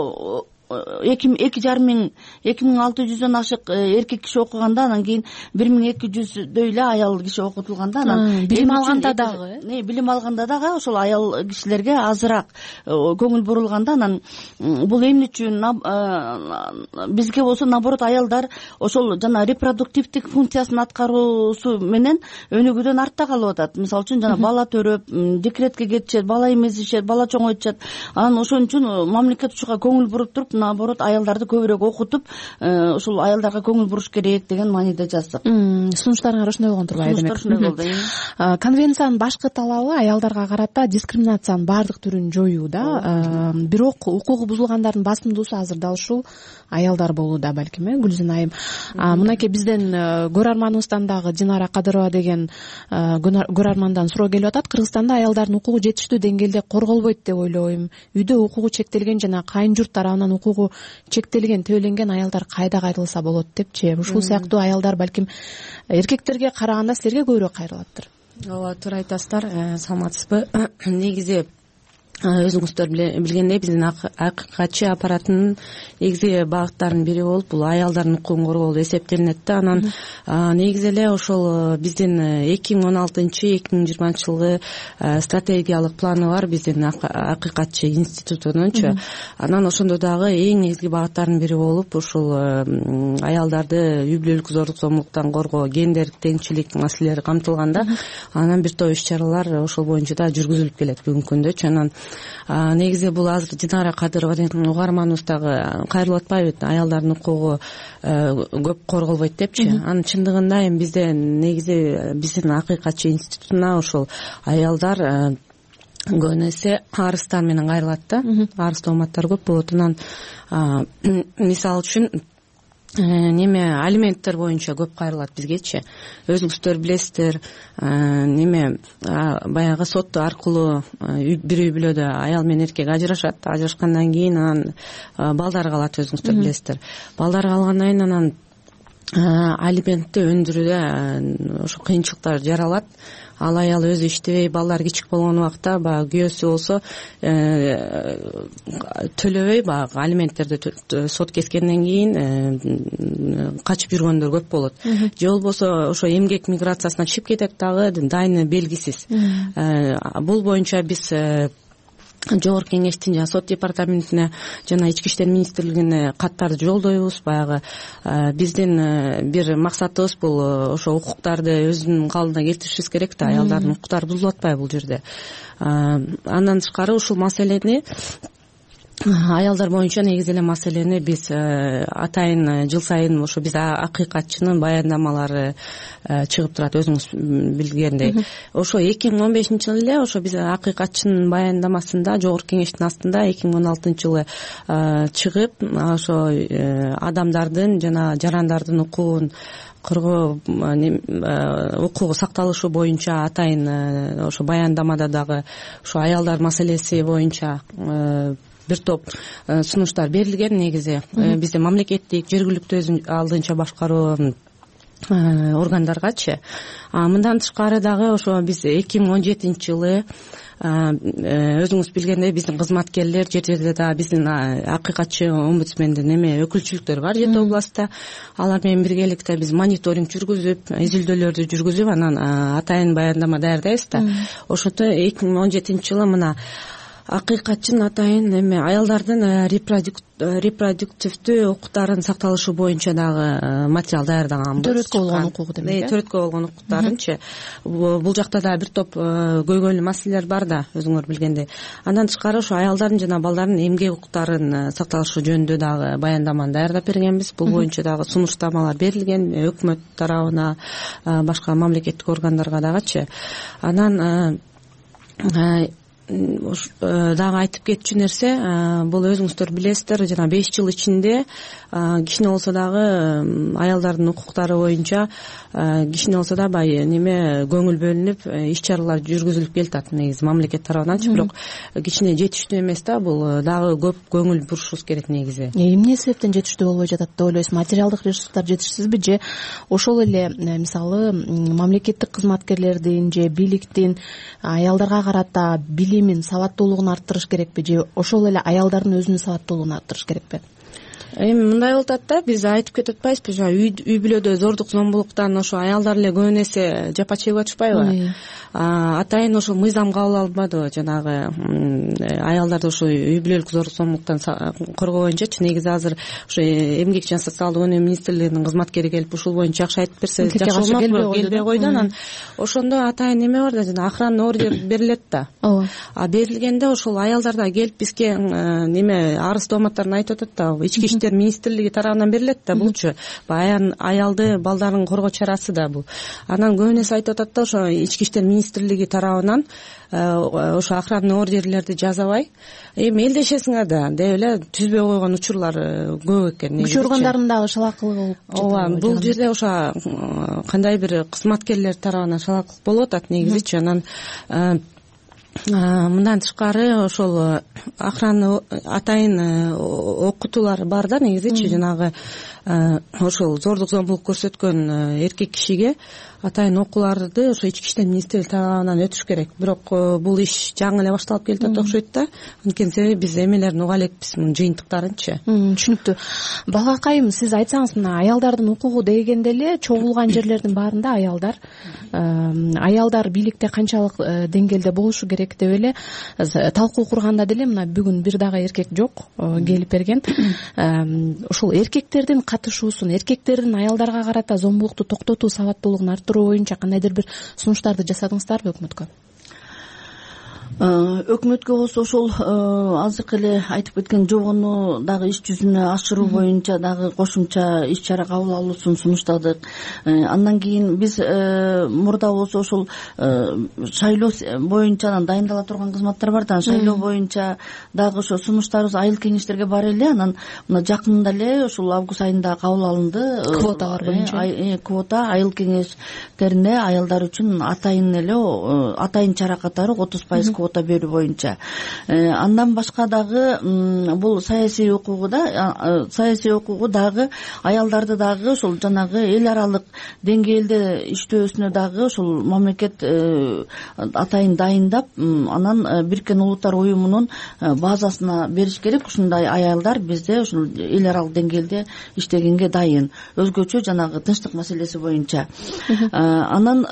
[SPEAKER 19] 2600дөн ашык эркек киши окуганда, анан кийин 1200дөй эле аял киши окутулганда, анан
[SPEAKER 18] билим алганда дагы
[SPEAKER 19] ошол аял кишилерге азыраак көңүл бурулганда, анан бул эмне үчүн бизге болсо наоборот аялдар ошол жана репродуктивдик функциясын аткаруусу менен өнүгүүдөн артта калып атат. Мисалы үчүн жана бала төрөп, декретке кетишет, бала эмизишет, бала чоңойтушат. Анан ошон үчүн мамлекет ушуга көңүл буруп туруп, наоборот аялдарды көбүрөөк окутуп, ушул аялдарга көңүл буруш керек деген мааниде жаздык.
[SPEAKER 18] Сунуштарыңар ошондой болгон турбайбы?
[SPEAKER 19] Сунуштар ошондой болду.
[SPEAKER 18] Конвенциянын башкы талабы аялдарга карата дискриминациянын баардык түрүн жоюу да. Бирок укугу бузулгандардын басымдуусу азыр дал ушул аялдар болууда балким, Гүлзина айым. Мынакей бизден көрөрманыбыздан дагы Динара Кадырова деген көрөрмандан суроо келип атат. Кыргызстанда аялдардын укугу жетиштүү деңгээлде корголбойт деп ойлойм. Үйдө укугу чектелген жана кайын журт тарабынан укугу чектелген, төбөлөнгөн аялдар кайда кайрылса болот депчи. Ушул сыяктуу аялдар балким эркектерге караганда силерге көбүрөөк кайрылаттыр.
[SPEAKER 20] Ооба, туура айтасыздар. Саламатсызбы? Негизи өзүңүздөр билгендей, биздин акыйкатчы аппараттын негизи багыттарынын бири болуп бул аялдардын укугун коргоо болуп эсептелинет да. Анан негизи эле ошол биздин 2016-2020 жылгы стратегиялык планы бар биздин акыйкатчы институтунунчу. Анан ошондо дагы эң негизги багыттарынын бири болуп ушул аялдарды үй бүлөлүк зордук зомбулуктан коргоо, гендердик теңчилик маселелери камтылган да. Анан бир топ иш-чаралар ошол боюнча да жүргүзүлүп келет бүгүнкү күндө. Анан негизи бул азыр Динара Кадырова деген угарманыбыз дагы кайрылып атпайбы, аялдардын укугу көп корголбойт депчи. Анын чындыгында эми бизде негизи биздин акыйкатчы институтуна ошол аялдар көбүнө эсе арыздар менен кайрылат да. Арыз тооматтар көп болот. Анан мисалы үчүн алименттер боюнча көп кайрылат бизгечи. Өзүңүздөр билесиздер, баягы сот аркылуу бир үй бүлөдө аял менен эркек ажырашат. Ажырашкандан кийин анан балдар калат, өзүңүздөр билесиздер. Балдар калгандан кийин анан алиментти өндүрүүдө ошо кыйынчылыктар жаралат. Ал аял өзү иштебей, балдар кичик болгон убакта баягы күйөөсү болсо төлөбөй, баягы алименттерди сот кескенден кийин качып жүргөндөр көп болот. Же болбосо ошо эмгек миграциясына чыгып кетет дагы, дайыны белгисиз. Бул боюнча биз Жогорку кеңештин жана сот департаментине жана Ички иштер министрлигине каттарды жолдойбуз. Баягы биздин бир максатыбыз бул ошо укуктарды өзүнүн калыбына келтиришибиз керек да, аялдардын укуктары бузулуп атпайбы бул жерде. Андан тышкары ушул маселени аялдар боюнча негизи эле маселени биз атайын жыл сайын ошо биз акыйкатчынын баяндамалары чыгып турат, өзүңүз билгендей. Ошо 2015 жылы эле ошо биз акыйкатчынын баяндамасында жогорку кеңештин астында 2016 жылы чыгып, ошо адамдардын жана жарандардын укугун коргоо укугу сакталышы боюнча атайын ошо баяндамада дагы ошо аялдар маселеси боюнча бир топ сунуштар берилген. Негизи бизде мамлекеттик, жергиликтүү өзүн алдынча башкаруу органдаргачы. Мындан тышкары дагы ошо биз 2017 жылы өзүңүз билгендей биздин кызматкерлер жер жерде дагы биздин акыйкатчы омбудсмендин өкүлчүлүктөрү бар 7 областта. Алар менен биргеликте биз мониторинг жүргүзүп, изилдөөлөрдү жүргүзүп, анан атайын баяндама даярдайбыз да. Ошондо 2017 жылы мына акыйкатчынын атайын аялдардын репродуктивдүү укуктарын сакталышы боюнча дагы материал даярдаганбыз.
[SPEAKER 18] Төрөткө болгон укугу демек.
[SPEAKER 20] Төрөткө болгон укуктарынчы. Бул жакта дагы бир топ көйгөйлүү маселелер бар да, өзүңөр билгендей. Андан тышкары ошо аялдардын жана балдардын эмгек укуктарын сакталышы жөнүндө дагы баяндаманы даярдап бергенбиз. Бул боюнча дагы сунуштамалар берилген өкмөт тарабына, башка мамлекеттик органдарга дагычы. Анан дагы айтып кетчү нерсе, бул өзүңүздөр билесиздер, жана 5 жыл ичинде кичине болсо дагы аялдардын укуктары боюнча кичине болсо да көңүл бөлүнүп, иш чаралар жүргүзүлүп келатат негизи мамлекет тарабынан. Бирок кичине жетиштүү эмес да, бул дагы көп көңүл бурушубуз керек негизи.
[SPEAKER 18] Эмне себептен жетиштүү болбой жатат деп ойлойсуз? Материалдык ресурстар жетишсизби же ошол эле мисалы мамлекеттик кызматкерлердин же бийликтин аялдарга карата билимин, сабаттуулугун арттырыш керекпи же ошол эле аялдардын өзүнүн сабаттуулугун арттырыш керекпи?
[SPEAKER 20] Эми мындай болуп атат да, биз айтып кетип атпайбызбы, үй бүлөдө зордук зомбулуктан ошо аялдар эле көп нерсе жапа чегип атышпайбы? Атайын ошо мыйзам кабыл алынбадыбы, жанагы аялдарды ошо үй бүлөлүк зордук зомбулуктан коргоо боюнчачы. Негизи азыр ошо эмгек жана социалдык өнүгүү министрлигинин кызматкери келип ушул боюнча жакшы айтып берсе жакшы болмокпу? Келбей койду. Анан ошондо атайын неме бар да, жана охранный ордер берилет да. Ооба. Берилгенде ошол аялдар да келип бизге арыз тооматтарын айтып атат да. Ички иштер министрлиги тарабынан берилет да булчу. Аялды, балдарын коргоо чарасы да бул. Анан көбүнесе айтып атат да, ошо ички иштер министрлиги тарабынан ошо охранный ордерлерди жазабай эми элдешесиңер да деп эле түзбөй койгон учурлар көп экен.
[SPEAKER 18] Күч органдарынын дагы шалакылыгы болуп жатат.
[SPEAKER 20] Ооба, бул жерде ошо кандай бир кызматкерлер тарабынан шалакылык болуп атат негизичи. Анан мындан тышкары ошол охрана атайын окутуулар бар да негизичи, жанагы ошол зордук зомбулук көрсөткөн эркек кишиге атайын окууларды ошо ички иштер министрлиги тарабынан өтүш керек. Бирок бул иш жаңы эле башталып келатат окшойт да. Анткени себеби биз эмелерин уга элекпиз, мунун жыйынтыктарынчы.
[SPEAKER 18] Түшүнүктүү. Балгакайым, сиз айтсаңыз, мына аялдардын укугу дегенде эле чогулган жерлердин баарында аялдар бийликте канчалык деңгээлде болушу керек деп эле талкуу курганда деле мына бүгүн бир дагы эркек жок келип берген. Ошол эркектердин катышуусун, эркектердин аялдарга карата зомбулукту токтотуу, сабаттуулугун арттыруу боюнча кандайдыр бир сунуштарды жасадыңыздарбы өкмөткө?
[SPEAKER 19] Өкмөткө болсо ошол азыркы эле айтып кеткен жобону дагы иш жүзүнө ашыруу боюнча дагы кошумча иш чара кабыл алуусун сунуштадык. Андан кийин биз мурда болсо ошол шайлоо боюнча дайындала турган кызматтар бар да, шайлоо боюнча дагы ошо сунуштарыбыз айыл кеңештерге бар эле. Анан мына жакында эле ошол август айында кабыл алынды.
[SPEAKER 18] Квоталар боюнча.
[SPEAKER 19] Квота айыл кеңештерине аялдар үчүн атайын эле атайын чара катары 30% квота берүү боюнча. Андан башка дагы бул саясий укугу да, саясий укугу дагы аялдарды дагы ошол жанагы эл аралык деңгээлде иштөөсүнө дагы ошол мамлекет атайын дайындап, анан Бириккен Улуттар уюмунун базасына бериш керек. Ушундай аялдар бизде ушул эл аралык деңгээлде иштегенге дайын. Өзгөчө жанагы тынчтык маселеси боюнча. Анан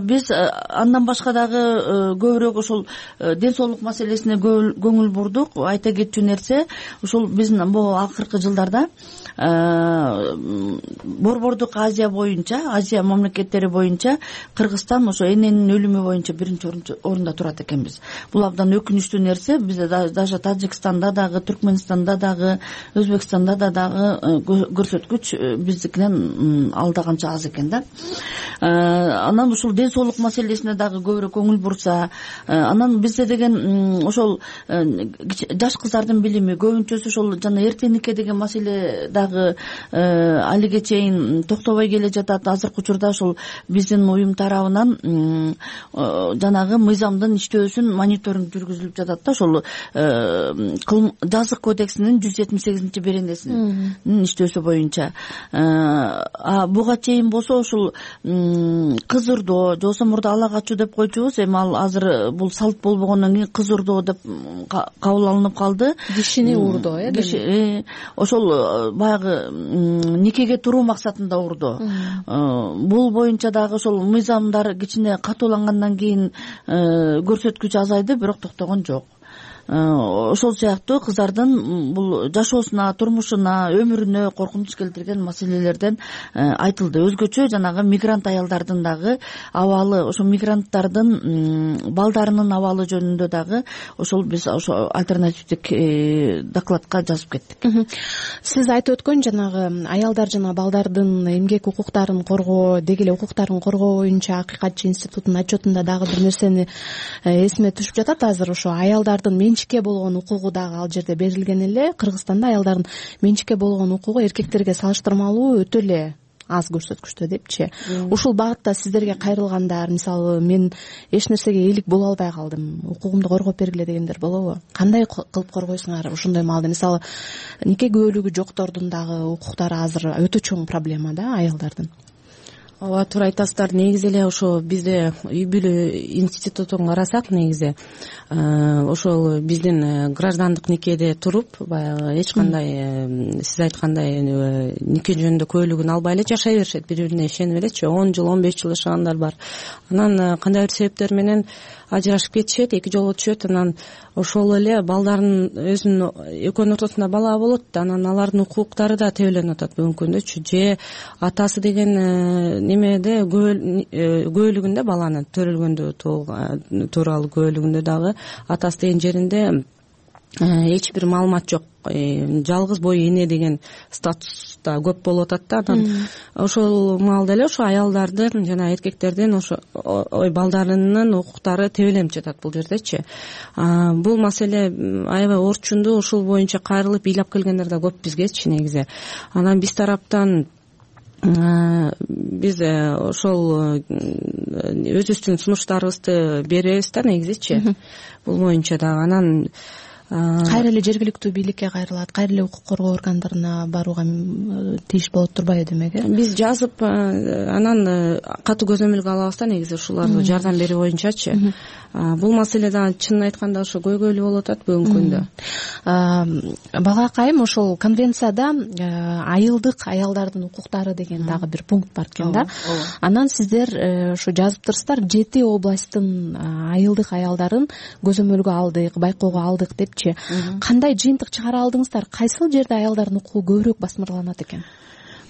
[SPEAKER 19] биз андан башка дагы көбүрөөк ошол ден соолук маселесине көңүл бурдук. Айта кетчү нерсе, ушул биздин бул акыркы жылдарда Борбордук Азия боюнча, Азия мамлекеттери боюнча Кыргызстан ошо эненин өлүмү боюнча биринчи орунда турат экенбиз. Бул абдан өкүнүчтүү нерсе. Бизде даже Тажикстанда дагы, Түркмөнстанда дагы, Өзбекстанда дагы көрсөткүч биздикинен алда канча аз экен да. Анан ушул ден соолук маселесине дагы көбүрөөк көңүл бурса, анан бизде деген ошол жаш кыздардын билими көбүнчөсү ошол жана эрте нике деген маселе дагы алиге чейин токтобой келе жатат. Азыркы учурда ошол биздин уюм тарабынан жанагы мыйзамдын иштөөсүн мониторинг жүргүзүлүп жатат да. Ошол жазык кодексинин 178 беренесинин иштөөсү боюнча. Буга чейин болсо ушул кыз урдоо же болбосо мурда ала качуу деп койчубуз. Эми ал азыр бул салт болбогондон кийин кыз урдоо деп кабыл алынып калды.
[SPEAKER 18] Кишини урдоо,
[SPEAKER 19] ошол баягы никеге туруу максатында урдоо. Бул боюнча дагы ошол мыйзамдар кичине катуулангандан кийин көрсөткүч азайды, бирок токтогон жок. Ошол сыяктуу кыздардын бул жашоосуна, турмушуна, өмүрүнө коркунуч келтирген маселелерден айтылды. Өзгөчө жанагы мигрант аялдардын дагы абалы, ошо мигранттардын балдарынын абалы жөнүндө дагы ошол биз ошо альтернативдик докладка жазып кеттик.
[SPEAKER 18] Сиз айтып өткөн жанагы аялдар жана балдардын эмгек укуктарын коргоо, деги эле укуктарын коргоо боюнча Акыйкатчы институтунун отчетунда дагы бир нерсени эсиме түшүп жатат. Азыр ошо аялдардын менчикке болгон укугу дагы ал жерде берилген эле. Кыргызстанда аялдардын менчикке болгон укугу эркектерге салыштырмалуу өтө эле аз көрсөткүчтө депчи. Ушул багытта сиздерге кайрылгандар, мисалы мен эч нерсеге ээлик боло албай калдым, укугумду коргоп бергиле дегендер болобу? Кандай кылып коргойсуңар ошондой маалда? Мисалы нике күбөлүгү жоктордун дагы укуктары азыр өтө чоң проблема да аялдардын.
[SPEAKER 20] Ооба, туура айтасыздар. Негизи эле ошо бизде үй бүлө институтун карасак, негизи ошол биздин граждандык никеде туруп, баягы эч кандай сиз айткандай нике жөнүндө күбөлүгүн албай эле жашай беришет, бири бирине ишенип элечи. 10 жыл, 15 жыл жашагандар бар. Анан кандайдыр себептер менен ажырашып кетишет, эки жолго түшөт. Анан ошол эле балдарын өзүнүн экөөнүн ортосунда бала болот да, анан алардын укуктары да тебеленип атат бүгүнкү күндө. Же атасы деген немеде күбөлүгүндө, баланы төрөлгөндө тууралуу күбөлүгүндө дагы атасы деген жеринде эч бир маалымат жок. Жалгыз бой эне деген статуста көп болуп атат да. Анан ошол маалда эле ошо аялдардын жана эркектердин ошо балдарынын укуктары тебеленип жатат бул жердечи. Бул маселе аябай орчундуу. Ушул боюнча кайрылып ыйлап келгендер да көп бизгечи негизи. Анан биз тараптан биз ошол өзүбүздүн сунуштарыбызды беребиз да негизичи бул боюнча дагы. Анан
[SPEAKER 18] кайра эле жергиликтүү бийликке кайрылат, кайра эле укук коргоо органдарына барууга тийиш болот турбайбы демек?
[SPEAKER 20] Биз жазып анан катуу көзөмөлгө алабыз да негизи ушуларды жардам берүү боюнчачы. Бул маселе дагы чынын айтканда ошо көйгөйлүү болуп атат бүгүнкү күндө. Багакайым
[SPEAKER 18] ошол конвенцияда айылдык аялдардын укуктары деген дагы бир пункт бар экен да. Анан сиздер ошо жазыптырсыздар, 7 областтын айылдык аялдарын көзөмөлгө алдык, байкоого алдык депчи. Кандай жыйынтык чыгара алдыңыздар? Кайсыл жерде аялдардын укугу көбүрөөк басмырланат экен?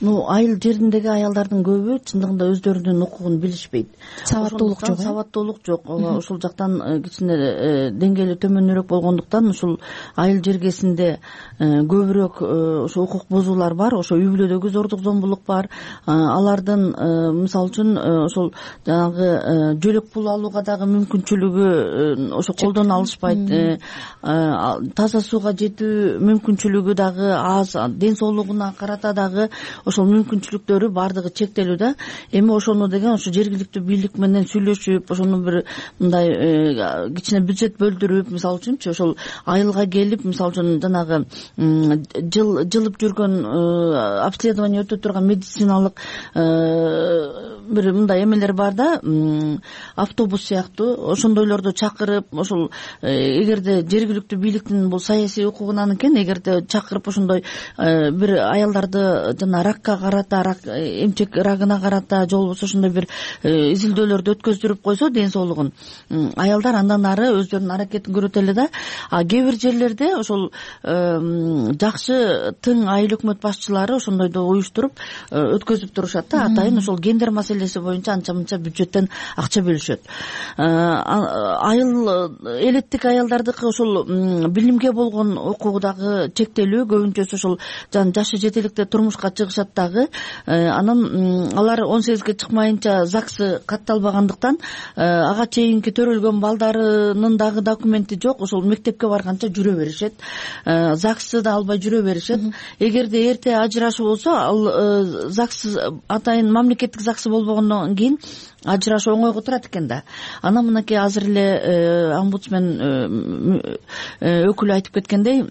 [SPEAKER 19] Айыл жериндеги аялдардын көбү чындыгында өздөрүнүн укугун билишпейт.
[SPEAKER 18] Сабаттуулук жок.
[SPEAKER 19] Сабаттуулук жок. Ошол жактан кичине деңгээли төмөнүрөөк болгондуктан ушул айыл жергесинде көбүрөөк ошо укук бузуулар бар. Ошо үй бүлөдөгү зордук зомбулук бар. Алардын мисалы үчүн ошол жанагы жөлөк пул алууга дагы мүмкүнчүлүгү ошо колдоно алышпайт. Таза сууга жетүү мүмкүнчүлүгү дагы аз. Ден соолугуна карата дагы ошол мүмкүнчүлүктөрү баардыгы чектелүү да. Эми ошону деген ошо жергиликтүү бийлик менен сүйлөшүп, ошону бир мындай кичине бюджет бөлдүрүп, мисалы үчүнчү ошол айылга келип, мисалы үчүн жанагы жылып жүргөн обследование өтө турган медициналык бир мындай эмелер бар да, автобус сыяктуу ошондойлорду чакырып, ошол эгерде жергиликтүү бийликтин бул саясий укугунан экен, эгерде чакырып ошондой бир аялдарды жана ракка карата, эмчек рагына карата же болбосо ошондой бир изилдөөлөрдү өткөздүрүп койсо ден соолугун, аялдар андан ары өздөрүнүн аракетин көрөт эле да. Кээ бир жерлерде ошол жакшы тың айыл өкмөт башчылары ошондойду уюштуруп өткөзүп турушат да, атайын ошол гендер маселеси боюнча анча мынча бюджеттен акча бөлүшөт. Айыл элеттик аялдардыкы ошол билимге болгон укугу чектелүү, көбүнчөсү ошол жашы жетеликте турмушка чыгышат дагы. Анан алар 18-ге чыкмайынча ЗАГСы катталбагандыктан ага чейинки төрөлгөн балдарынын дагы документи жок, ошол мектепке барганча жүрө беришет. ЗАГСты да албай жүрө беришет. Эгерде эрте ажырашуу болсо, ал ЗАГС атайын мамлекеттик ЗАГСы болбогондон кийин ажырашуу оңойго турат экен да. Анан мынакей азыр эле омбудсмен өкүлү айтып кеткендей,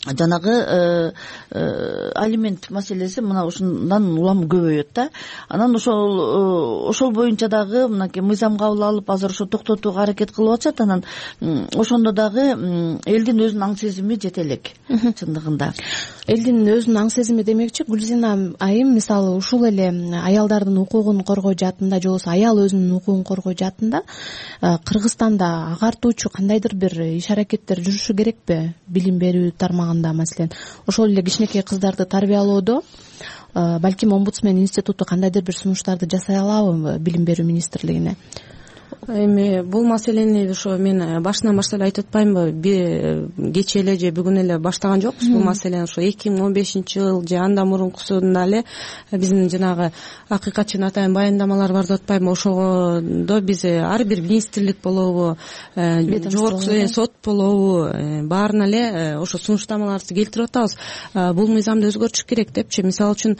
[SPEAKER 19] жанагы алимент маселеси мына ушундан улам көбөйөт да. Анан ошол боюнча дагы мынакей мыйзам кабыл алып, азыр ошо токтотууга аракет кылып атышат. Анан ошондо дагы элдин өзүнүн аң сезими жете элек чындыгында.
[SPEAKER 18] Элдин өзүнүн аң сезими демекчи, Гүлзина айым мисалы ушул эле аялдардын укугун коргоо жаатында же болбосо аял өзүнүн укугун коргоо жаатында Кыргызстанда агартуучу кандайдыр бир иш аракеттер жүрүшү керекпи? Билим берүү тармагында маселен, ошол эле кичинекей кыздарды тарбиялоодо балким омбудсмен институту кандайдыр бир сунуштарды жасай алабы билим берүү министрлигине?
[SPEAKER 20] Эми бул маселени ошо мен башынан баштап айтып атпаймынбы, кечээ эле же бүгүн эле баштаган жокпуз бул маселени. Ошо 2015-жыл же андан мурункусунда эле биздин жанагы акыйкатчы атайын баяндамалар бар деп атпаймынбы, ошогодо биз ар бир министрлик болобу, жогорку сот болобу, баарына эле ошо сунуштамаларды келтирип атабыз. Бул мыйзамды өзгөртүш керек депчи. Мисалы үчүн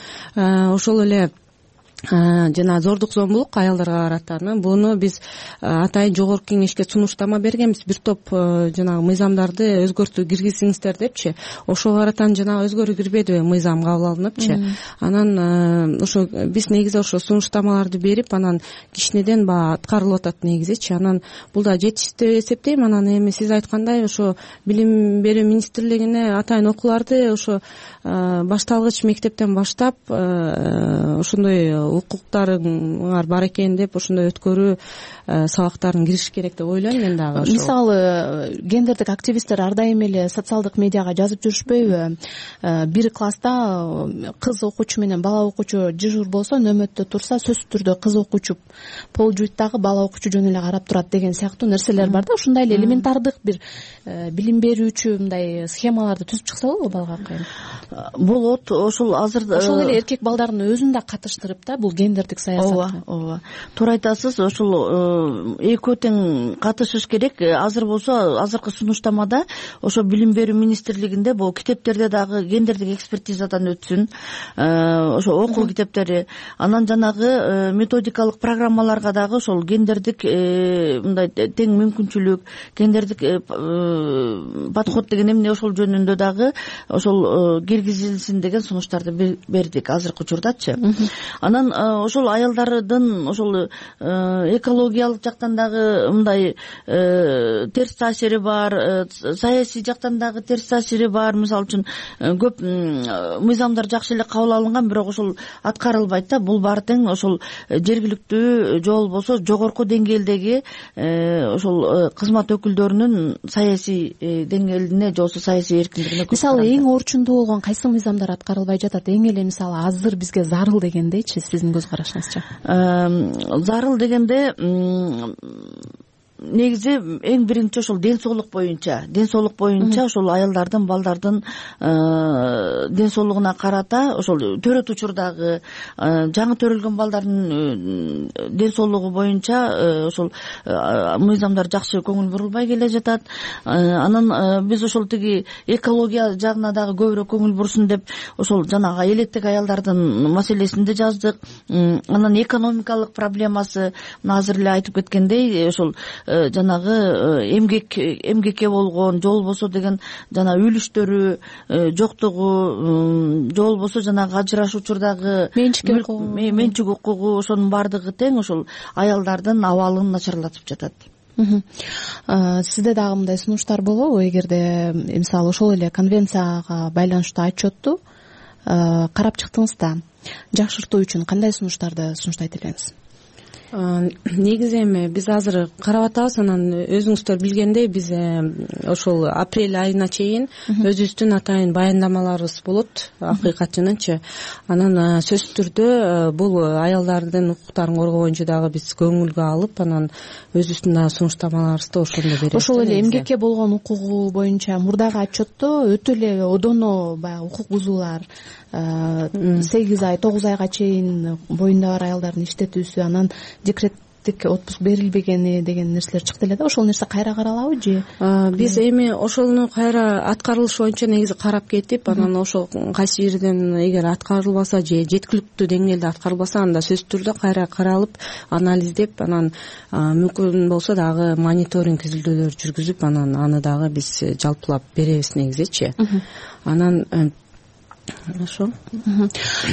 [SPEAKER 20] ошол эле жана зордук зомбулук аялдарга карата, буну биз атайын жогорку кеңешке сунуштама бергенбиз, бир топ жанагы мыйзамдарды өзгөртүү киргизиңиздер депчи. Ошого каратан жанагы өзгөрүү кирбедиби, мыйзам кабыл алыныпчы. Анан ошо биз негизи ошо сунуштамаларды берип, анан кичинеден баягы аткарылып атат негизичи. Анан бул да жетиштүү деп эсептейм. Анан эми сиз айткандай ошо билим берүү министрлигине атайын окууларды ошо башталгыч мектептен баштап ошондой укуктарыңар бар экен деп ошондой өткөрүү сабактарын кириш керек деп ойлойм мен дагы.
[SPEAKER 18] Мисалы гендердик активисттер ар дайым эле социалдык медиага жазып жүрүшпөйбү? Бир класста кыз окуучу менен бала окуучу дежур болсо, нөмөттө турса, сөзсүз түрдө кыз окуучу пол жуйт дагы бала окуучу жөн эле карап турат деген сыяктуу нерселер бар да. Ушундай эле элементардык бир билим берүүчү мындай схемаларды түзүп чыкса болобу балга акайын?
[SPEAKER 19] Болот. Ошол азыр
[SPEAKER 18] ошол эле эркек балдардын өзүн да катыштырып да бул гендердик саясатка.
[SPEAKER 19] Ооба. Туура айтасыз. Ошол экөө тең катышыш керек. Азыр болсо, азыркы сунуштамада ошо билим берүү министрлигинде бул китептерде дагы гендердик экспертизадан өтсүн. Ошо окуу китептери, анан жанагы методикалык программаларга дагы ошол гендердик мындай тең мүмкүнчүлүк, гендердик подход деген эмне, ошол жөнүндө дагы ошол киргизилсин деген сунуштарды бердик азыркы учурдачы. Анан ошол аялдардын ошол экологиялык жактан дагы мындай терс таасири бар, саясий жактан дагы терс таасири бар. Мисалы үчүн көп мыйзамдар жакшы эле кабыл алынган, бирок ошол аткарылбайт да. Бул баары тең ошол жергиликтүү же болбосо жогорку деңгээлдеги ошол кызмат өкүлдөрүнүн саясий деңгээлине же болбосо саясий эркиндигине.
[SPEAKER 18] Мисалы эң орчундуу болгон кайсы мыйзамдар аткарылбай жатат? Эң эле мисалы азыр бизге зарыл дегендейчи, сиздин көз карашыңызча?
[SPEAKER 19] Зарыл дегенде негизи эң биринчи ошол ден соолук боюнча ошол аялдардын, балдардын ден соолугуна карата ошол төрөт учурдагы жаңы төрөлгөн балдардын ден соолугу боюнча ошол мыйзамдар жакшы көңүл бурулбай келе жатат. Анан биз ошол тиги экология жагына дагы көбүрөөк көңүл бурсун деп ошол жанагы элеттик аялдардын маселесин да жаздык. Анан экономикалык проблемасы, азыр эле айтып кеткендей, ошол жанагы эмгекке болгон же болбосо деген жана үлүштөрү жоктугу же болбосо жанагы ажырашуу учурдагы менчик укугу ошонун баардыгы тең ошол аялдардын абалын начарлатып жатат.
[SPEAKER 18] Сизде дагы мындай сунуштар болобу? Эгерде мисалы ошол эле конвенцияга байланыштуу отчетту карап чыктыңыз да, жакшыртуу үчүн кандай сунуштарды сунуштайт элеңиз?
[SPEAKER 20] Негизи эми биз азыр карап атабыз, анан өзүңүздөр билгендей биз ошол апрель айына чейин өзүбүздүн атайын баяндамаларыбыз болот, акыйкатчынынчы. Анан сөзсүз түрдө бул аялдардын укуктарын коргоо боюнча дагы биз көңүлгө алып, анан өзүбүздүн дагы сунуштамаларыбызды ошондо беребиз.
[SPEAKER 18] Ошол эле эмгекке болгон укугу боюнча мурдагы отчетто өтө эле одоно баягы укук бузуулар 8 ай 9 айга чейин боюнда бар аялдардын иштетүүсү, анан декреттик отпуск берилбегени деген нерселер чыкты эле да. Ошол нерсе кайра каралабы же?
[SPEAKER 20] Биз эми ошону кайра аткарылышы боюнча негизи карап кетип, анан ошол кайсы жерден эгер аткарылбаса же жеткиликтүү деңгээлде аткарылбаса, анда сөзсүз түрдө кайра каралып, анализдеп, анан мүмкүн болсо дагы мониторинг изилдөөлөр жүргүзүп, анан аны дагы биз жалпылап беребиз негизичи. Анан ошо.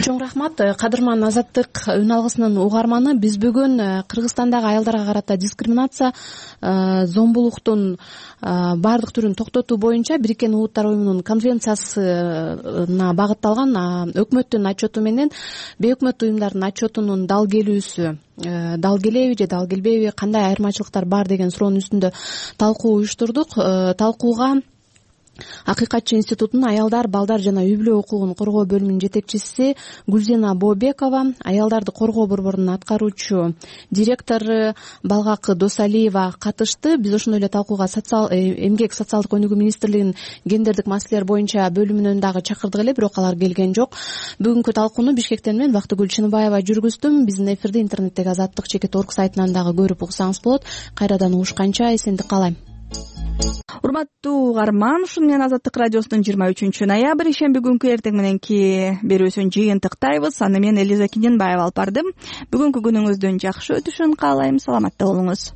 [SPEAKER 18] Чоң рахмат. Кадырман Азаттык үн алгысынын угарманы, биз бүгүн Кыргызстандагы аялдарга карата дискриминация, зомбулуктун баардык түрүн токтотуу боюнча Бириккен Улуттар Уюмунун конвенциясына багытталган өкмөттүн отчету менен бейөкмөт уюмдардын отчетунун дал келүүсү, дал келеби же дал келбейби, кандай айырмачылыктар бар деген суроонун үстүндө талкуу уюштурдук. Талкууга Акыйкатчы институтунун аялдар, балдар жана үй-бүлө укугун коргоо бөлүмүнүн жетекчиси Гүлзина Бообекова, аялдарды коргоо борборунун аткаруучу директору Балгак Досалиева катышты. Биз ошондой эле талкууга эмгек социалдык өнүгүү министрлигинин гендердик маселелер боюнча бөлүмүнөн дагы чакырдык эле, бирок алар келген жок. Бүгүнкү талкууну Бишкектен мен Бактыгүл Чыныбаева жүргүздүм. Биздин эфирди интернеттеги Азаттык-Org сайтынан дагы көрүп угсаңыз болот. Кайрадан угушканча эсендик каалайм.
[SPEAKER 1] Урматтуу угарман, ушуну менен Азаттык радиосунун 23 ноябрь ишемби күнкү эртең мененки берүүсүн жыйынтыктайбыз. Аны мен Элиза Киненбаева алып бардым. Бүгүнкү күнүңүздүн жакшы өтүшүн каалайм. Саламатта болуңуз.